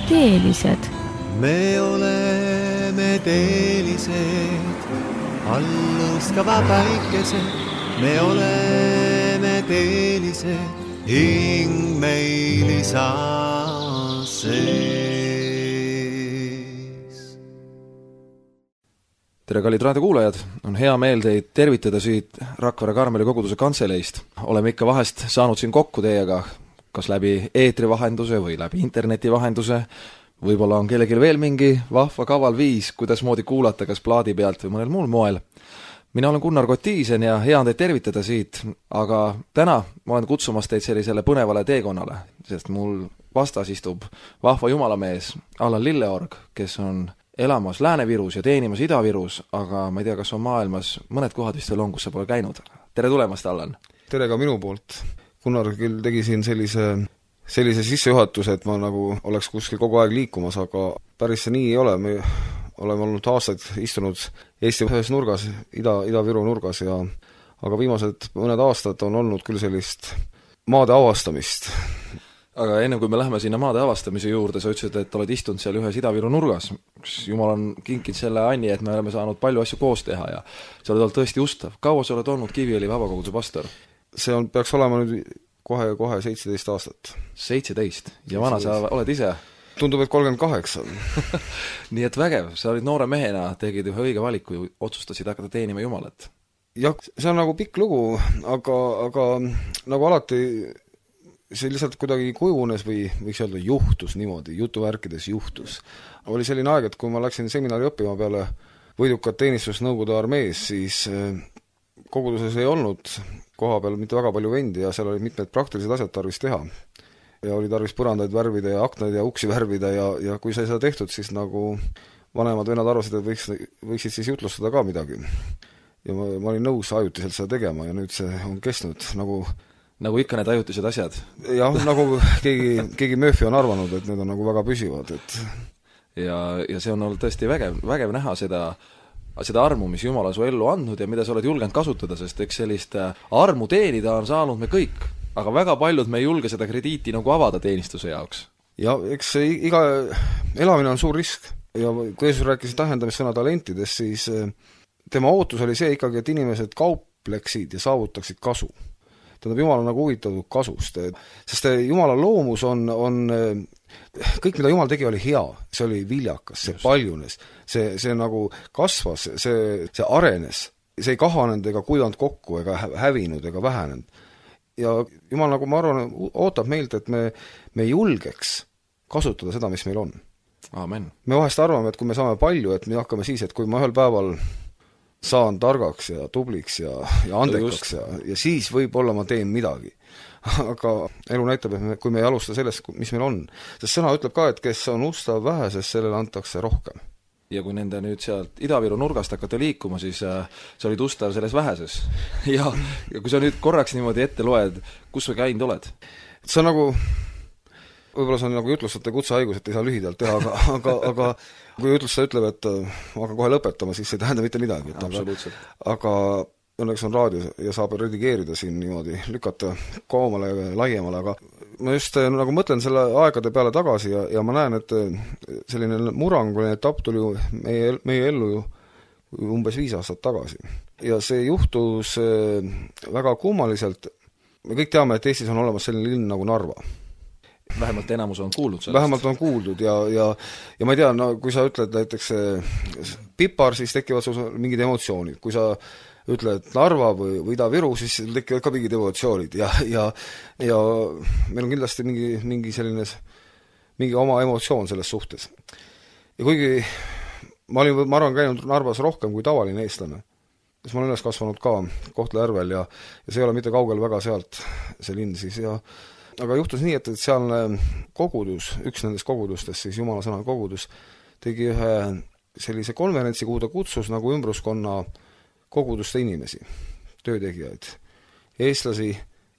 teelised. Me oleme teelised, alluskava päikesed. Me oleme teelised, hing meil isa sees. Tere, kallid raadiokuulajad! On hea meel teid tervitada siit Rakvere Karmeli koguduse kantseleist. Oleme ikka vahest saanud siin kokku teiega, kas läbi eetri vahenduse või läbi interneti vahenduse. Võib-olla on kellelgi veel mingi vahva kaval viis, kuidas moodi kuulata, kas plaadi pealt või mõnel muul moel. Mina olen Gunnar Kotiisen ja hea on teid tervitada siit, aga täna ma olen kutsumas teid sellisele põnevale teekonnale, sest mul vastas istub vahva jumalamees Allan Lilleorg, kes on elamas Lääne-Virus ja teenimas Ida-Virus, aga ma ei tea, kas on maailmas mõned kohad vist veel on, kus sa pole käinud. Tere tulemast, Allan! Tere ka minu poolt. Gunnar küll tegi siin sellise sissejuhatuse, et ma nagu oleks kuskil kogu aeg liikumas, aga päris see nii ei ole. Me oleme olnud aastaid istunud Eesti ühes nurgas, Ida-Viru nurgas, aga viimased mõned aastad on olnud küll sellist maade avastamist. Aga enne kui me läheme sinna maade avastamise juurde, sa ütlesid, et oled istunud seal ühes Ida-Viru nurgas. Jumal on kinkinud selle anni, et me oleme saanud palju asju koos teha ja sa oled olnud tõesti ustav. Kaua sa oled olnud Kiviõli vabakoguduse pastor? See peaks olema nüüd kohe 17 aastat. 17? Ja vana sa oled ise? Tundub, et 38. Nii et vägev, sa olid noore mehena, tegid ühe õige valiku ja otsustasid hakata teenima Jumalat. Jah, see on nagu pikk lugu, aga nagu alati see lihtsalt kuidagi kujunes või võiks öelda juhtus niimoodi, jutuvärkides juhtus. Oli selline aeg, et kui ma läksin seminari õppima peale võidukat teenistust Nõukogude armees, siis koguduses ei olnud koha peal mitte väga palju vendi ja seal oli mitmed praktilised asjad tarvis teha. Ja oli tarvis põrandaid värvida ja aknaid ja uksi värvida ja kui sai seda tehtud, siis nagu vanemad vennad arvasid, et võiksid siis jutlustada ka midagi. Ja ma olin nõus ajutiselt seda tegema ja nüüd see on kestnud nagu ikka need ajutised asjad. Jah, nagu keegi Murphy on arvanud, et need on nagu väga püsivad. Ja see on olnud tõesti vägev näha seda armu, mis Jumal on su ellu andnud ja mida sa oled julgenud kasutada, sest eks sellist armu teenida on saanud me kõik, aga väga paljud me ei julge seda krediiti nagu avada teenistuse jaoks. Ja eks iga elamine on suur risk ja kui Jeesus rääkis tähendamissõna talentidest, siis tema ootus oli see ikkagi, et inimesed kaupleksid ja saavutaksid kasu. Tähendab, Jumal on nagu huvitatud kasust, sest Jumala loomus on kõik, mida Jumal tegi, oli hea, see oli viljakas, see paljunes, see nagu kasvas, see arenes, see ei kahanenud ega kuivanud kokku ega hävinud ega vähenenud. Ja Jumal, nagu ma arvan, ootab meilt, et me julgeks kasutada seda, mis meil on. Amen. Me vahest arvame, et kui me saame palju, et me hakkame siis, et kui ma ühel päeval saan targaks ja tubliks ja andekaks ja siis võib-olla ma teen midagi. Aga elu näitab, et kui me ei alusta sellest, mis meil on. Sest sõna ütleb ka, et kes on ustav väheses, sellele antakse rohkem. Ja kui nende nüüd sealt Ida-Viru nurgast hakata liikuma, siis sa olid ustav selles väheses. Ja kui sa nüüd korraks niimoodi ette loed, kus sa käinud oled? See on nagu, võib-olla see on nagu jutlustate kutsehaigus, et ei saa lühidalt teha, aga kui jutlustaja ütleb, et hakka kohe lõpetama, siis ei tähenda mitte midagi. Absoluutselt. Aga õnneks on raadio ja saab redigeerida siin niimoodi, lükata koomale ja laiemale, aga ma just nagu mõtlen selle aegade peale tagasi ja ma näen, et selline muranguline etapp tuli meie ellu ju umbes 5 aastat tagasi. Ja see juhtus väga kummaliselt. Me kõik teame, et Eestis on olemas selline linn nagu Narva. Vähemalt enamus on kuuldud sellest. Vähemalt on kuuldud ja ma ei tea, no, kui sa ütled näiteks Pipar, siis tekivad sul mingid emotsioonid. Kui sa ütled Narva või Ida-Viru, siis tekivad ka mingid emotsioonid ja meil on kindlasti mingi oma emotsioon selles suhtes. Ja kuigi ma arvan käinud Narvas rohkem kui tavaline eestlane, siis ma olen üles kasvanud ka Kohtla-Järvel ja see ei ole mitte kaugel väga sealt see linn siis aga juhtus nii, et sealne kogudus, üks nendest kogudustest, siis Jumala sõna kogudus, tegi ühe sellise konverentsi, kuhu ta kutsus nagu ümbruskonna koguduste inimesi, töötegijaid, eestlasi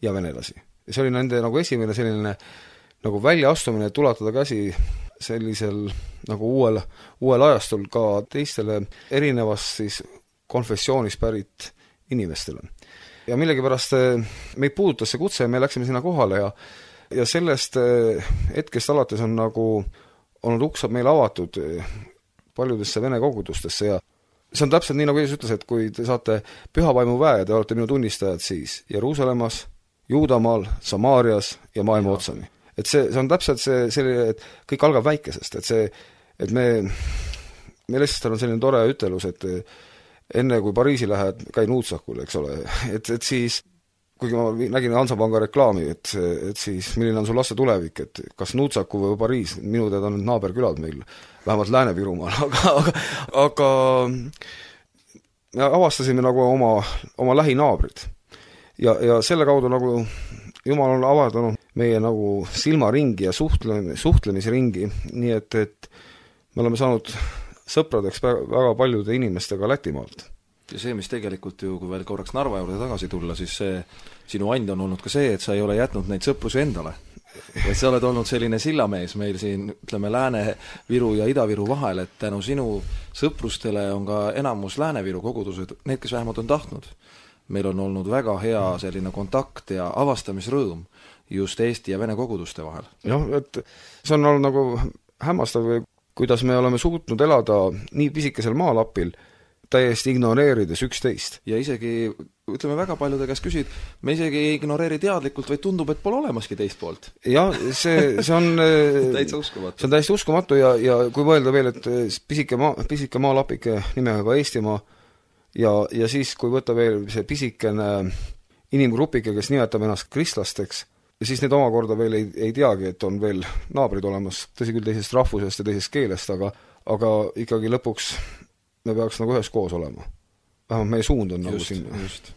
ja venelasi. Ja see oli nende nagu esimene selline nagu väljaastumine, et ulatada käsi sellisel nagu uuel ajastul ka teistele erinevast siis konfessioonist pärit inimestele. Ja millegipärast meid puudutas see kutse ja me läksime sinna kohale ja sellest hetkest alates on nagu olnud uksed meile avatud paljudesse vene kogudustesse ja see on täpselt nii, nagu Jeesus ütles, et kui te saate pühavaimu väe ja te olete minu tunnistajad siis Jeruusalemmas, Juudamaal, Samaarias ja maailma otsani. Et see on täpselt selline, et kõik algab väikesest, et me lihtsalt on selline tore ütelus, et enne kui Pariisi lähed, käi Nuutsakul, eks ole, et siis kuigi ma nägin Hansapanga reklaami, et siis milline on sul laste tulevik, et kas Nuutsaku või Pariis, minu teada on naaberkülad meil, vähemalt Lääne-Virumaal, aga me avastasime nagu oma lähinaabrid. Ja selle kaudu nagu Jumal on avardanud meie nagu silmaringi ja suhtlemisringi, nii et me oleme saanud sõpradeks väga paljude inimestega Lätimaalt. Ja see, mis tegelikult ju, kui veel korraks Narva juurde tagasi tulla, siis see sinu and on olnud ka see, et sa ei ole jätnud neid sõprusi endale. Et sa oled olnud selline sillamees meil siin, ütleme, Lääne-Viru ja Ida-Viru vahel, et tänu sinu sõprustele on ka enamus Lääne-Viru kogudused, need, kes vähemalt on tahtnud. Meil on olnud väga hea selline kontakt ja avastamisrõõm just Eesti ja Vene koguduste vahel. Jah, et see on olnud nagu hämmastav, kuidas me oleme suutnud elada nii pisikesel maalapil, täiesti ignoreerides üksteist. Ja isegi, ütleme, väga paljude käest küsid, me isegi ei ignoreeri teadlikult, vaid tundub, et pole olemaski teist poolt. Jah, see on täitsa uskumatu. See on täiesti uskumatu ja kui mõelda veel, et pisike maalapike nimega ka Eestimaa ja siis, kui võtta veel see pisikene inimgrupike, kes nimetab ennast kristlasteks, ja siis need omakorda veel ei teagi, et on veel naabrid olemas, tõsi küll teisest rahvusest ja teisest keelest, aga ikkagi lõpuks me peaks nagu ühes koos olema. Vähemalt meie suund on nagu sinna. Just.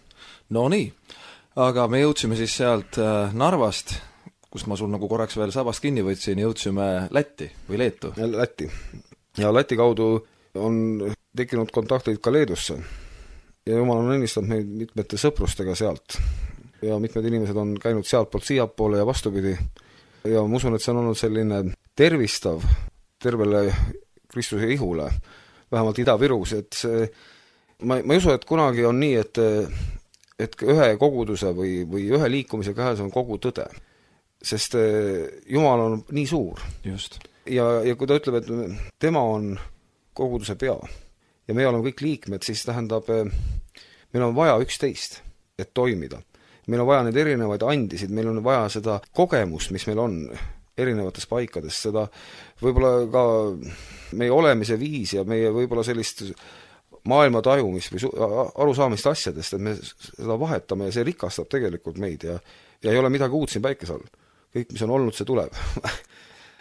No nii, aga me jõudsime siis sealt Narvast, kust ma sul nagu korraks veel sabast kinni võtsin, jõudsime Lätti või Leetu. Lätti. Ja Läti kaudu on tekkinud kontaktid ka Leedusse. Ja Jumal on õnnistanud meid mitmete sõprustega sealt. Ja mitmed inimesed on käinud sealt poolt siiapoole ja vastupidi. Ja ma usun, et see on olnud selline tervistav tervele Kristuse ihule, vähemalt Ida-Virus, et ma ei usu, et kunagi on nii, et ühe koguduse või ühe liikumise käes on kogu tõde. Sest Jumal on nii suur. Just. Ja kui ta ütleb, et tema on koguduse pea ja me oleme kõik liikmed, siis tähendab, meil on vaja üksteist, et toimida. Meil on vaja neid erinevaid andisid, meil on vaja seda kogemust, mis meil on erinevates paikades, seda võib-olla ka meie olemise viis ja meie võib-olla sellist maailma tajumist või arusaamist asjadest, et me seda vahetame ja see rikastab tegelikult meid ja ei ole midagi uut siin päikese all. Kõik, mis on olnud, see tuleb.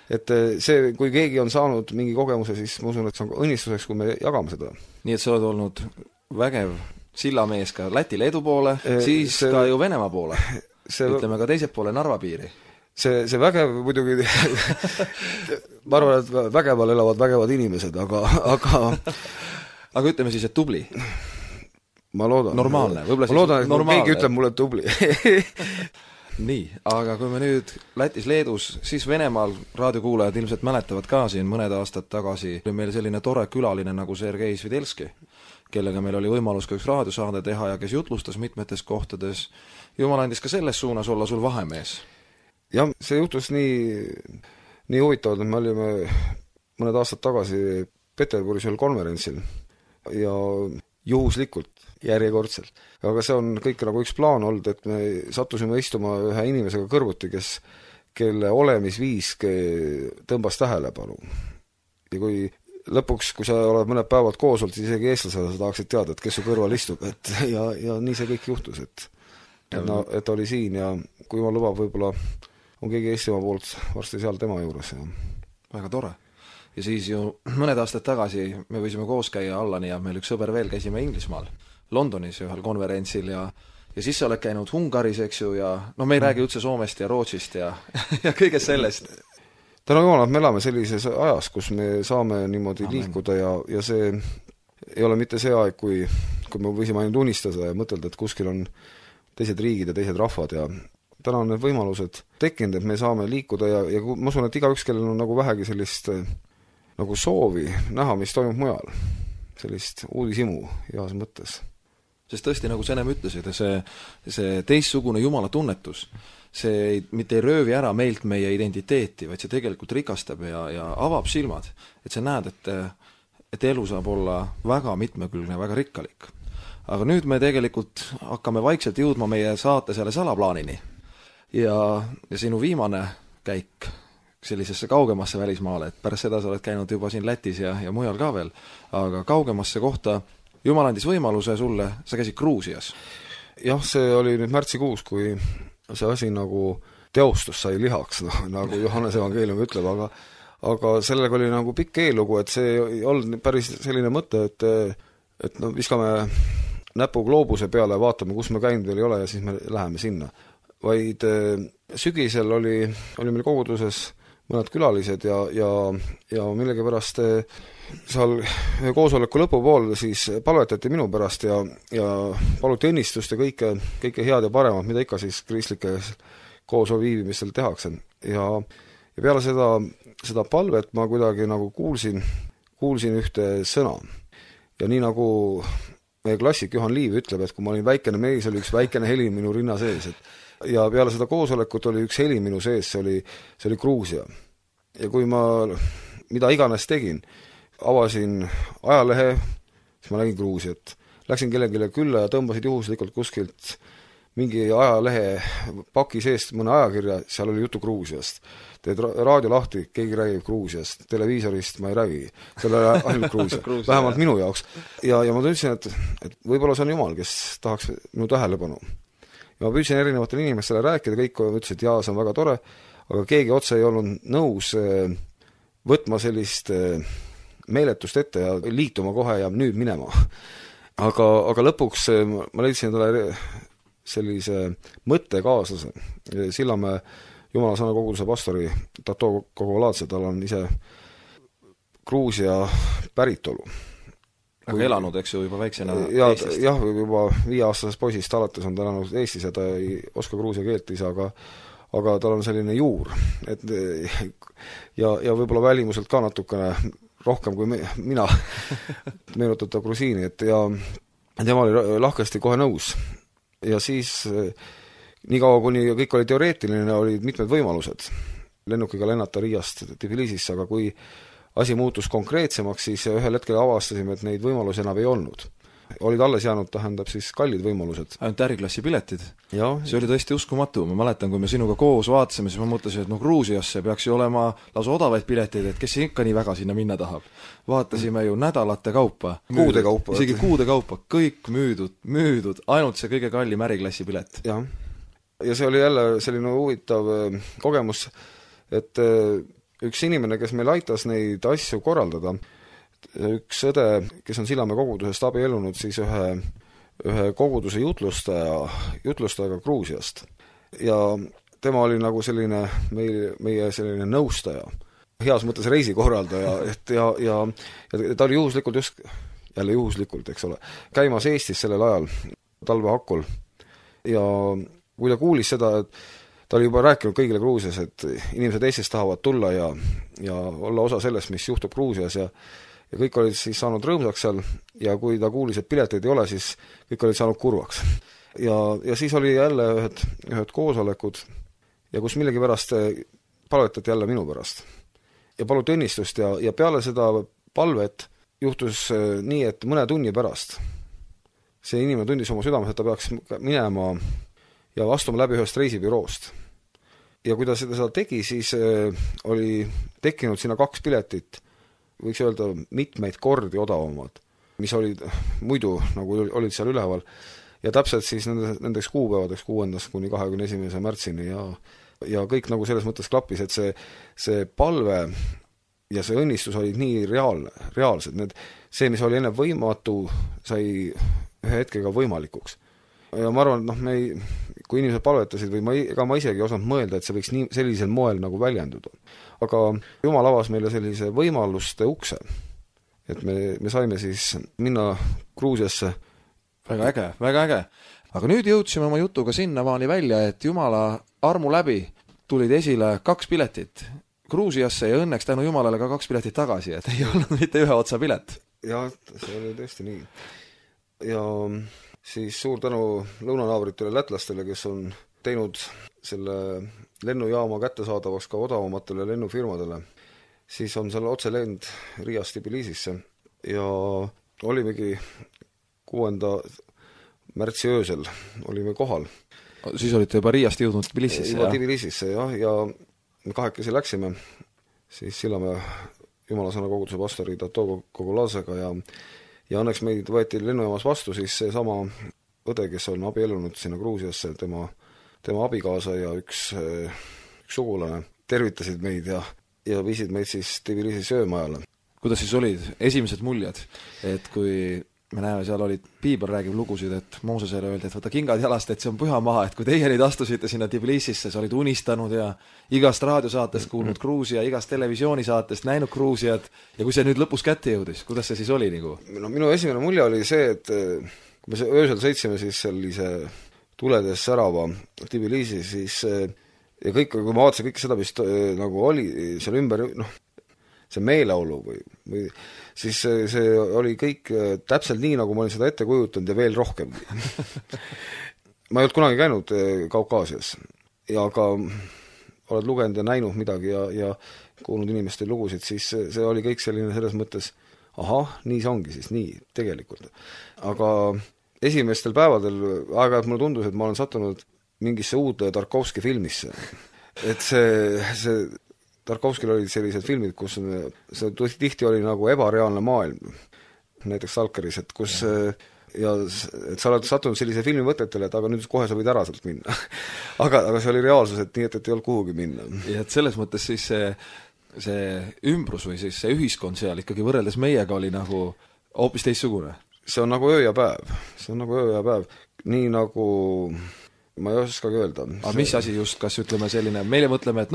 Et see, kui keegi on saanud mingi kogemuse, siis ma usun, et see on õnnistuseks, kui me jagame seda. Nii et sa oled olnud vägev sillamees ka Läti-Leedu poole, siis ka ju Venemaa poole. Ütleme ka teiselt poole Narva piiri. See vägev muidugi ma arvan, et vägeval elavad vägevad inimesed, aga aga ütleme siis, et tubli. Ma loodan. Normaalne. Ma loodan, et normaalne. Keegi ütleb mulle tubli. Nii, aga kui me nüüd Lätis, Leedus, siis Venemaal raadiokuulajad ilmselt mäletavad ka siin mõned aastad tagasi, oli meil selline tore külaline nagu Sergei Svidelski, kellega meil oli võimalus ka üks raadiosaade teha ja kes jutlustas mitmetes kohtades. Jumal andis ka selles suunas olla sul vahemees. Jah, see juhtus nii huvitavad, et me olime mõned aastad tagasi Peterburis ühel konverentsil ja juhuslikult järjekordselt. Aga see on kõik nagu üks plaan olnud, et me sattusime istuma ühe inimesega kõrvuti, kelle olemisviis tõmbas tähelepanu. Ja kui lõpuks, kui sa oled mõned päevad koos olnud, siis isegi eestlasele sa tahaksid teada, et kes su kõrval istub. Ja nii see kõik juhtus, et oli siin ja kui ma lubab, võib-olla on keegi Eestimaa poolt varsti seal tema juures. Ja. Väga tore. Ja siis ju mõned aastad tagasi me võisime koos käia Allani ja meil üks sõber veel käisime Inglismaal, Londonis ühel konverentsil ja siis sa oled käinud Ungaris, eks ju, ja me ei räägi üldse Soomest ja Rootsist ja kõigest sellest. Täna Jumal, me elame sellises ajas, kus me saame niimoodi liikuda ja see ei ole mitte see aeg, kui me võisime ainult unistada ja mõtelda, et kuskil on teised riigid ja teised rahvad ja täna on need võimalused tekkinud, et me saame liikuda ja ma usun, et igaüks, kellel on nagu vähegi sellist nagu soovi näha, mis toimub mujal. Sellist uudishimu heas mõttes. Sest tõesti, nagu sa ennem ütlesid, see teistsugune Jumala tunnetus, see mitte ei röövi ära meilt meie identiteeti, vaid see tegelikult rikastab ja avab silmad, et sa näed, et elu saab olla väga mitmekülgne, väga rikkalik. Aga nüüd me tegelikult hakkame vaikselt jõudma meie saate selle salaplaanini. Ja sinu viimane käik sellisesse kaugemasse välismaale, et pärast seda sa oled käinud juba siin Lätis ja mujal ka veel, aga kaugemasse kohta Jumal andis võimaluse sulle, sa käisid Gruusias. Jah, see oli nüüd märtsikuus, kui see asi nagu teostus sai lihaks, nagu Johannes evangeelium ütleb, aga sellega oli nagu pikk eellugu, et see ei olnud päris selline mõte, et no viskame näpu gloobuse peale ja vaatame, kus me käinud veel ei ole ja siis me läheme sinna. Vaid sügisel oli meil koguduses mõned külalised ja millegipärast seal koosoleku lõpupool siis palvetati minu pärast ja paluti õnnistust ja kõike head ja paremat, mida ikka siis kristlike koos viibimistel tehakse. Ja peale seda palvet ma kuidagi nagu kuulsin ühte sõna. Ja nii nagu meie klassik Juhan Liiv ütleb, et kui ma olin väikene mees, oli üks väikene heli minu rinna sees. Ja peale seda koosolekut oli üks heli minu sees, see oli Gruusia. Ja kui ma mida iganes tegin, avasin ajalehe, siis ma nägin Gruusiat. Läksin kellelegi külla ja tõmbasid juhuslikult kuskilt mingi ajalehe paki seest mõne ajakirja, seal oli jutu Gruusiast. Teed raadio lahti, keegi räägib Gruusiast, televiisorist ma ei räägi, seal oli ainult Gruusia, vähemalt minu jaoks. Ja ma tundsin, et võib-olla see on Jumal, kes tahaks minu tähelepanu. Ja ma püüdsin erinevatele inimestele rääkida, kõik ütlesid, et jaa, see on väga tore, aga keegi otse ei olnud nõus võtma sellist meeletust ette ja liituma kohe ja nüüd minema. Aga lõpuks ma leidsin talle sellise mõttekaaslase. Sillamäe Jumala sõna koguduse pastori Tato Kogoladze, tal on ise Gruusia päritolu. Aga elanud, eks ju, juba väiksena Eestist? Jah, juba 5-aastasest poisist alates on ta elanud Eestis ja ta ei oska gruusia keelt ise, aga tal on selline juur. Ja võib-olla välimuselt ka natukene rohkem kui mina meenutab ta grusiini, ja tema oli lahkesti kohe nõus. Ja siis nii kaua, kuni kõik oli teoreetiline, olid mitmed võimalused lennukiga lennata Riiast Tbilisisse, aga kui asi muutus konkreetsemaks, siis ühel hetkel avastasime, et neid võimalusi enam ei olnud. Olid alles jäänud, tähendab siis kallid võimalused. Ainult äriklassi piletid. See oli tõesti uskumatu. Ma mäletan, kui me sinuga koos vaatasime, siis ma mõtlesin, et Gruusiasse peaks ju olema lausa odavaid pileteid, et kes ikka nii väga sinna minna tahab. Vaatasime ju nädalate kaupa. Kuude kaupa. Isegi kuude kaupa. Kõik müüdud. Ainult see kõige kallim äriklassi pilet. Ja see oli jälle selline huvitav kogemus, et üks inimene, kes meil aitas neid asju korraldada, üks õde, kes on Sillamäe kogudusest abiellunud, siis ühe koguduse jutlustajaga Gruusiast. Ja tema oli nagu selline meie selline nõustaja, heas mõttes reisikorraldaja, ja ta oli juhuslikult jälle juhuslikult, eks ole, käimas Eestis sellel ajal talvehakul. Ja kui ta kuulis seda, et ta oli juba rääkinud kõigile Gruusias, et inimesed Eestist tahavad tulla ja olla osa sellest, mis juhtub Gruusias ja kõik olid siis saanud rõõmsaks seal ja kui ta kuulis, et pileteid ei ole, siis kõik olid saanud kurvaks. Ja siis oli jälle ühed koosolekud ja kus millegi pärast palvetati jälle minu pärast. Ja paluti õnnistust ja peale seda palvet juhtus nii, et mõne tunni pärast see inimene tundis oma südames, et ta peaks minema ja astuma läbi ühest reisibüroost. Ja kui ta seda tegi, siis oli tekkinud sinna 2 piletit, võiks öelda mitmeid kordi odavamad, mis olid muidu nagu olid seal üleval. Ja täpselt siis nendeks kuupäevadeks 6. kuni 21. märtsini ja kõik nagu selles mõttes klappis, et see palve ja see õnnistus olid nii reaalsed. See, mis oli enne võimatu, sai ühe hetkega võimalikuks. Ja ma arvan, et kui inimesed palvetasid või ma isegi osanud mõelda, et see võiks sellisel moel nagu väljenduda. Aga Jumal avas meile sellise võimaluste ukse, et me saime siis minna Gruusiasse. Väga äge, väga äge. Aga nüüd jõudsime oma jutuga sinnamaani välja, et Jumala armu läbi tulid esile 2 piletit Gruusiasse ja õnneks tänu Jumalale ka 2 piletit tagasi, et ei olnud mitte ühe otsa pilet. Ja see oli tõesti nii. Ja siis suur tänu lõunanaabritele lätlastele, kes on teinud selle lennujaama kättesaadavaks ka odavamatele lennufirmadele, siis on seal otselend Riiast Tbilisisse ja olimegi 6. märtsi öösel olime kohal. Siis olite juba Riiast jõudnud Tbilisisse, juba Tbilisisse, jah, ja me kahekesi läksime siis Sillamäe Jumalasõna koguduse pastori Tato Kogulasega ja õnneks meid võeti lennujaamas vastu siis seesama õde, kes on abiellunud sinna Gruusiasse, tema abikaasa ja üks sugulane tervitasid meid ja viisid meid siis Tbilisi söömajale. Kuidas siis olid esimesed muljed, et kui me näeme, seal olid, Piibel räägib lugusid, et Moosesele öeldi, et võta kingad jalast, et see on püha maha, et kui teie nüüd astusite sinna Tbilisisse, sa olid unistanud ja igast raadiosaatest kuulnud Gruusia, igast televisioonisaatest näinud Gruusiat ja kui see nüüd lõpus kätte jõudis, kuidas see siis oli nagu? No minu esimene mulje oli see, et kui me öösel sõitsime siis sellise tuledes särava Tbilisi, siis ja kõik, kui ma vaatasin kõike seda, mis nagu oli seal ümber, see meeleolu või siis see oli kõik täpselt nii, nagu ma olin seda ette kujutanud ja veel rohkem. Ma ei olnud kunagi käinud Kaukaasias ja aga oled lugenud ja näinud midagi ja kuulnud inimeste lugusid, siis see oli kõik selline selles mõttes, ahah, nii see ongi siis, nii tegelikult. Aga esimestel päevadel aeg-ajalt mulle tundus, et ma olen sattunud mingisse uude Tarkovski filmisse. Et see Tarkovskil olid sellised filmid, kus see tihti oli nagu ebareaalne maailm, näiteks Stalkeris, et kus ja et sa oled sattunud sellise filmi mõtetele, et aga nüüd kohe sa võid ära sealt minna. aga see oli reaalsus, et nii, et ei olnud kuhugi minna. Ja et selles mõttes siis see ümbrus või siis see ühiskond seal ikkagi võrreldes meiega oli nagu hoopis teistsugune. See on nagu öö ja päev. Nii nagu ma ei oskagi öelda. Aga mis asi just, kas ütleme selline, meile mõtleme, et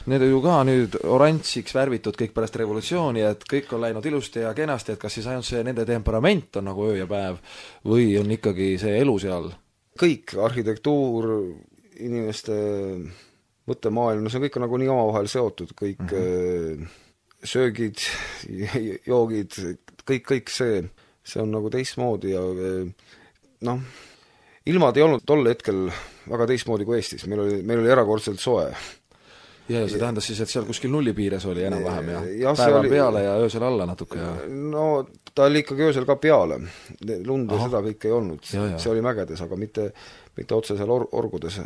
need on ju ka nüüd oranžiks värvitud kõik pärast revolutsiooni, et kõik on läinud ilusti ja kenasti, et kas siis ainult see nende temperament on nagu öö ja päev või on ikkagi see elu seal? Kõik, arhitektuur, inimeste mõttemaailm, see on kõik nagu nii omavahel seotud, kõik söögid, joogid, kõik see on nagu teistmoodi ja ilmad ei olnud tol hetkel väga teistmoodi kui Eestis, meil oli erakordselt soe. Ja see tähendas siis, et seal kuskil nulli piires oli enam-vähem ja päeval peale ja öösel alla natuke ja... No ta oli ikkagi öösel ka peale, lund ja seda kõik ei olnud, see oli mägedes, aga mitte otse seal orgudes.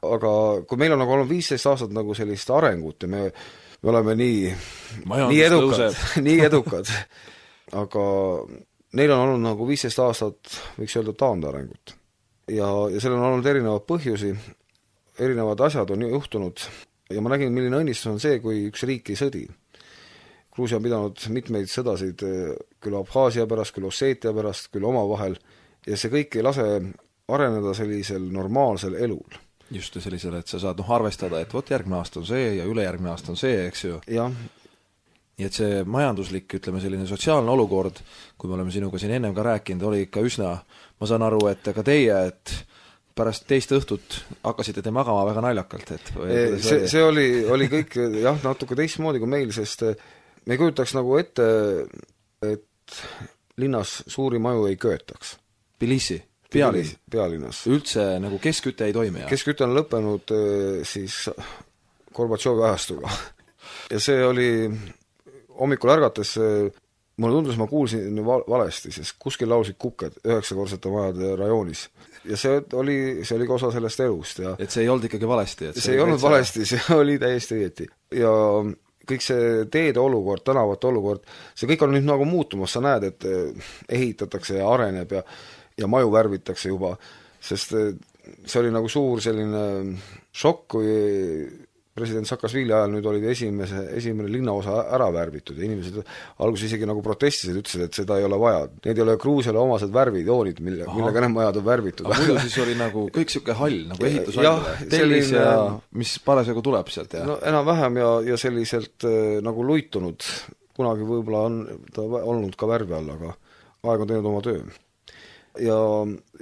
Aga kui meil on nagu olnud 15 aastat nagu sellist arengut ja me oleme nii edukad, aga neil on olnud nagu 15 aastat, võiks öelda, taandarengut. Ja seal on olnud erinevad põhjusi, erinevad asjad on juhtunud ja ma nägin, milline õnnistus on see, kui üks riik ei sõdi. Gruusia on pidanud mitmeid sõdasid küll Abhaasia pärast, küll Osseetia pärast, küll omavahel ja see kõik ei lase areneda sellisel normaalsel elul. Just sellisel, et sa saad arvestada, et vot järgmine aasta on see ja ülejärgmine aasta on see, eks ju. Jah. Nii et see majanduslik, ütleme selline sotsiaalne olukord, kui me oleme sinuga siin ennem ka rääkinud, oli ikka üsna, ma saan aru, et ka teie, et pärast teist õhtut hakkasite te magama väga naljakalt, et see oli kõik jah, natuke teistmoodi kui meil, sest me ei kujutaks nagu ette, et linnas suuri maju ei köetaks. Tbilisi? Pealinnas. Üldse nagu keskküte ei toimi? Keskküte on lõppenud siis Gorbatšovi ajastuga. Ja see oli hommikul ärgates, mulle tundus, ma kuulsin valesti, sest kuskil laulsid kuked 9-korsete majade rajoonis. Ja see oli ka osa sellest elust. Ja et see ei olnud ikkagi valesti? See ei olnud valesti, see oli täiesti õieti. Ja kõik see teede olukord, tänavate olukord, see kõik on nüüd nagu muutumas, sa näed, et ehitatakse ja areneb ja maju värvitakse juba, sest see oli nagu suur selline šokk, kui president Saakasvili ajal nüüd olid esimene linnaosa ära värvitud ja inimesed alguses isegi nagu protestisid, ütlesid, et seda ei ole vaja. Need ei ole Gruusiale omased värvijoonid, millega need majad on värvitud. Aga muidu siis oli nagu kõik siuke hall, nagu ehitushall, tellis ja mis parasjagu tuleb sealt? No enam-vähem ja selliselt nagu luitunud, kunagi võib-olla on ta olnud ka värvi all, aga aeg on teinud oma töö. Ja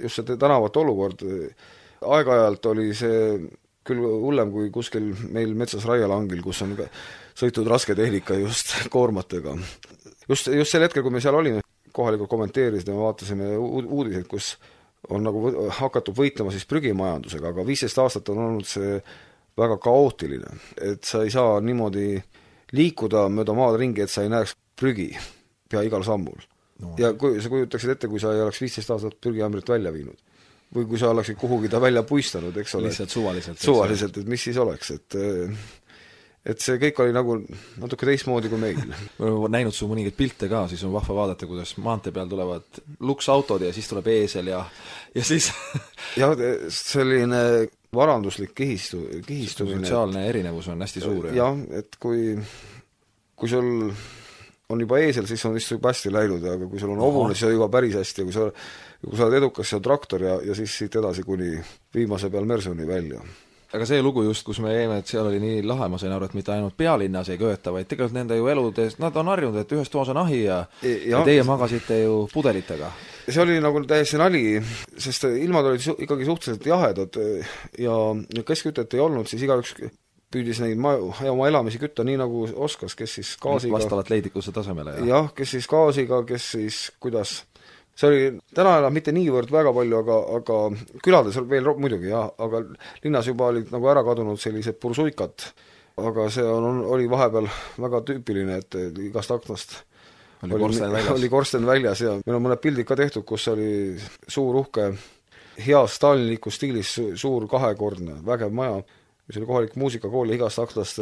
just see tänavate olukord, aeg-ajalt oli see küll hullem kui kuskil meil metsas raielangil, kus on sõitud raske tehnika just koormatega. Just sel hetkel, kui me seal olime, kohalikult kommenteerisid ja me vaatasime uudiseid, kus on nagu hakatud võitlema siis prügimajandusega, aga 15 aastat on olnud see väga kaootiline, et sa ei saa niimoodi liikuda mööda maad ringi, et sa ei näeks prügi pea igal sammul. No. Ja kui sa kujutaksid ette, kui sa ei oleks 15 aastat prügiämbrit välja viinud või kui sa oleksid kuhugi ta välja puistanud, eks ole. Lihtsalt suvaliselt. Suvaliselt, et mis siis oleks, et see kõik oli nagu natuke teistmoodi kui meil. Ma olen näinud su mõningaid pilte ka, siis on vahva vaadata, kuidas maantee peal tulevad luksautod ja siis tuleb eesel ja siis jah, selline varanduslik kihistumine. Sotsiaalne erinevus on hästi suur. Jah, et kui sul on juba eesel, siis on vist juba hästi läinud, aga kui sul on hobune, siis on juba päris hästi, kui sa oled edukas, see on traktor ja siis siit edasi kuni viimase peal Mersoni välja. Aga see lugu just, kus me jäime, et seal oli nii lahe, ma sain aru, et mitte ainult pealinnas ei kööta, vaid tegelikult nende ju eludes, nad on harjunud, et ühes toas on ahi ja teie magasite ju pudelitega. See oli nagu täiesti nali, sest ilmad olid ikkagi suhteliselt jahedad ja keskkütet ei olnud, siis igaüks püüdis neid oma elamisi kütta nii nagu oskas, kes siis gaasiga. Vastavalt leidikuse tasemele. Jah, kes siis gaasiga, kes siis kuidas. See oli, täna enam mitte niivõrd väga palju, aga külades veel muidugi, jah, aga linnas juba olid nagu ära kadunud sellised pursuikad. Aga see oli vahepeal väga tüüpiline, et igast aknast oli korsten väljas ja meil on mõned pildid ka tehtud, kus oli suur uhke, hea stalinliku stiilis suur kahekordne, vägev maja, mis oli kohalik muusikakool ja igast aknast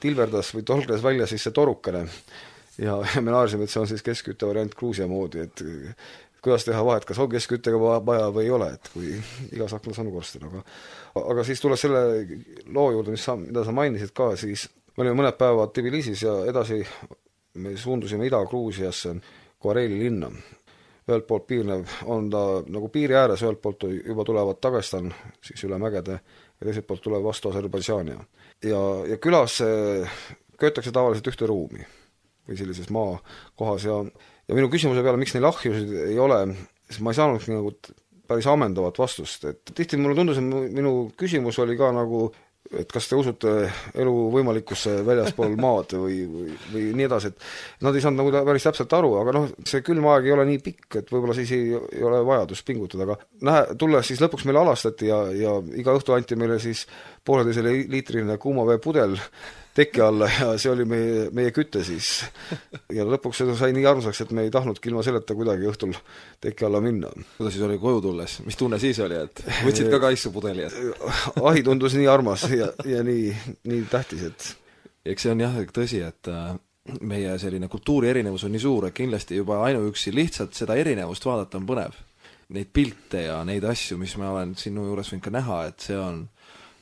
tilverdas või tolgles välja siis see torukene. Ja me naarsime, et see on siis keskkütte variant Gruusia moodi, et kuidas teha vahet, kas on keskküttega vaja või ei ole, et kui igas aknas on korsten. Aga siis tuleb selle loo juurde, mida sa mainisid ka, siis me olime mõned päevad Tbilisis ja edasi me suundusime Ida-Gruusiasse Koreili linna. Ühelt poolt piirnev on ta nagu piiri ääres, ühelt poolt juba tulevad Dagestan, siis üle mägede ja teiselt poolt tuleb vastu Aserbaidžaania. Ja külas köötakse tavaliselt ühte ruumi või sellises maakohas ja minu küsimuse peale, miks neil ahjusid ei ole, siis ma ei saanud nagu päris ammendavat vastust, et tihti mulle tundus, et minu küsimus oli ka nagu, et kas te usute elu võimalikkusse väljaspool maad või nii edasi, et nad ei saanud nagu päris täpselt aru, aga see külmaeg ei ole nii pikk, et võib-olla siis ei ole vajadust pingutada, aga tulles siis lõpuks meile alastati ja iga õhtu anti meile siis 1,5 liitrine kuumaveepudel teki alla ja see oli meie kütte siis. Ja lõpuks seda sai nii armsaks, et me ei tahtnudki ilma selleta kuidagi õhtul teki alla minna. Kuidas siis oli koju tulles? Mis tunne siis oli, et võtsid ka kaisu pudeli? Ahi tundus nii armas ja nii tähtis, et eks see on jah tõsi, et meie selline kultuuri erinevus on nii suur, et kindlasti juba ainuüksi lihtsalt seda erinevust vaadata on põnev. Neid pilte ja neid asju, mis ma olen sinu juures võinud ka näha, et see on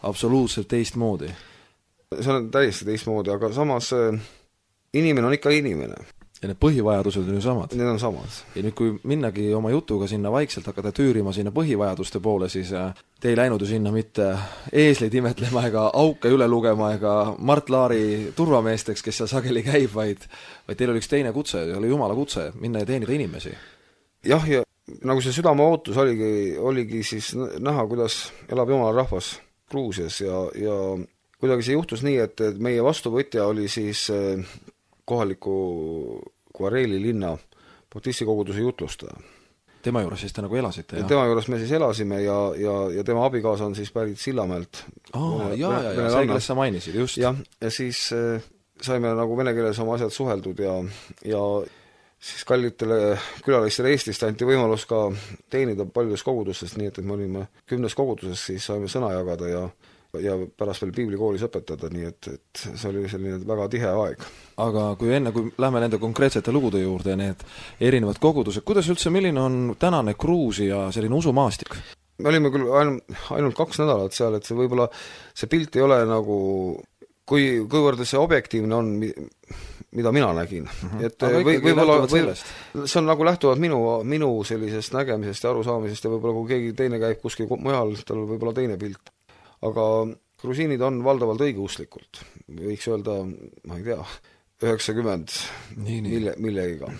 absoluutselt teistmoodi. See on täiesti teistmoodi, aga samas inimene on ikka inimene. Ja need põhivajadused on ju samad. Need on samad. Ja nüüd, kui minnagi oma jutuga sinna vaikselt hakata tüürima sinna põhivajaduste poole, siis te ei läinud ju sinna mitte eesleid imetlema ega auke üle lugema ega Mart Laari turvameesteks, kes seal sageli käib, vaid teil oli üks teine kutse, oli Jumala kutse, minna ja teenida inimesi. Jah, ja nagu see südame ootus oligi siis näha, kuidas elab Jumala rahvas Gruusias ja kuidagi see juhtus nii, et meie vastuvõtja oli siis kohaliku Koreili linna baptistikoguduse jutlustaja. Tema juures siis te nagu elasite, jah? Tema juures me siis elasime ja tema abikaasa on siis pärit Sillamäelt. Ja, see, kellest sa mainisid, just. Ja siis saime nagu vene keeles oma asjad suheldud ja siis kallitele külalistele Eestist anti võimalus ka teenida paljudes kogudustest, nii et me olime 10 koguduses, siis saime sõna jagada ja pärast veel piiblikoolis õpetada, nii et see oli selline väga tihe aeg. Aga kui lähme nende konkreetsete lugude juurde ja need erinevad kogudused, kuidas üldse, milline on tänane Gruusia selline usumaastik? Me olime küll ainult 2 nädalat seal, et see võib-olla see pilt ei ole nagu, kuivõrd see objektiivne on, mida mina nägin. Et võib-olla see on nagu lähtuvalt minu sellisest nägemisest ja arusaamisest ja võib-olla kui keegi teine käib kuskil mujal, tal võib-olla teine pilt. Aga grusiinid on valdavalt õigeusklikult, võiks öelda, ma ei tea, 90 millegiga.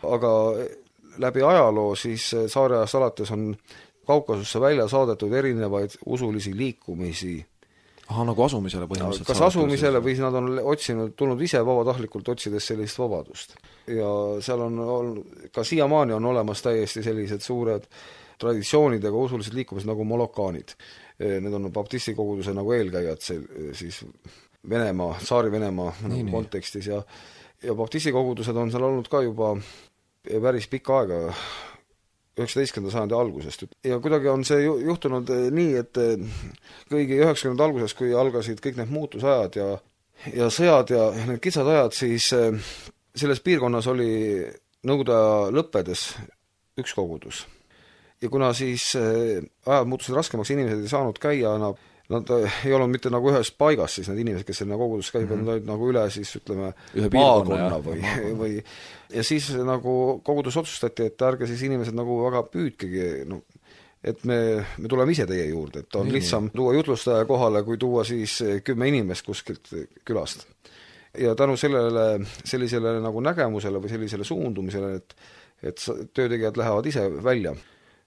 Aga läbi ajaloo siis saare ajast alates on Kaukasusse välja saadetud erinevaid usulisi liikumisi. Nagu asumisele põhimõtteliselt. Kas asumisele või nad on tulnud ise vabatahtlikult otsides sellist vabadust. Ja seal on ka siiamaani on olemas täiesti sellised suured traditsioonidega usulised liikumised nagu molokaanid. Need on baptisti koguduse nagu eelkäijad siis Venemaa, Tsaari-Venemaa nagu kontekstis ja baptisti kogudused on seal olnud ka juba päris pikka aega, 19. sajandi algusest. Ja kuidagi on see juhtunud nii, et kõigi 90. alguses, kui algasid kõik need muutusajad ja sõjad ja need kitsad ajad, siis selles piirkonnas oli nõukogude lõppedes üks kogudus. Ja kuna siis ajad muutusid raskemaks, inimesed ei saanud käia, nad ei olnud mitte nagu ühes paigas, siis need inimesed, kes selle kogudus käib, nad olid nagu üle siis ütleme maakonna või ja siis nagu kogudus otsustati, et ärge siis inimesed nagu väga püüdkegi, et me tuleme ise teie juurde, et on lihtsam tuua jutlustaja kohale, kui tuua siis 10 inimest kuskilt külast. Ja tänu sellisele nagu nägemusele või sellisele suundumisele, et töötegijad lähevad ise välja,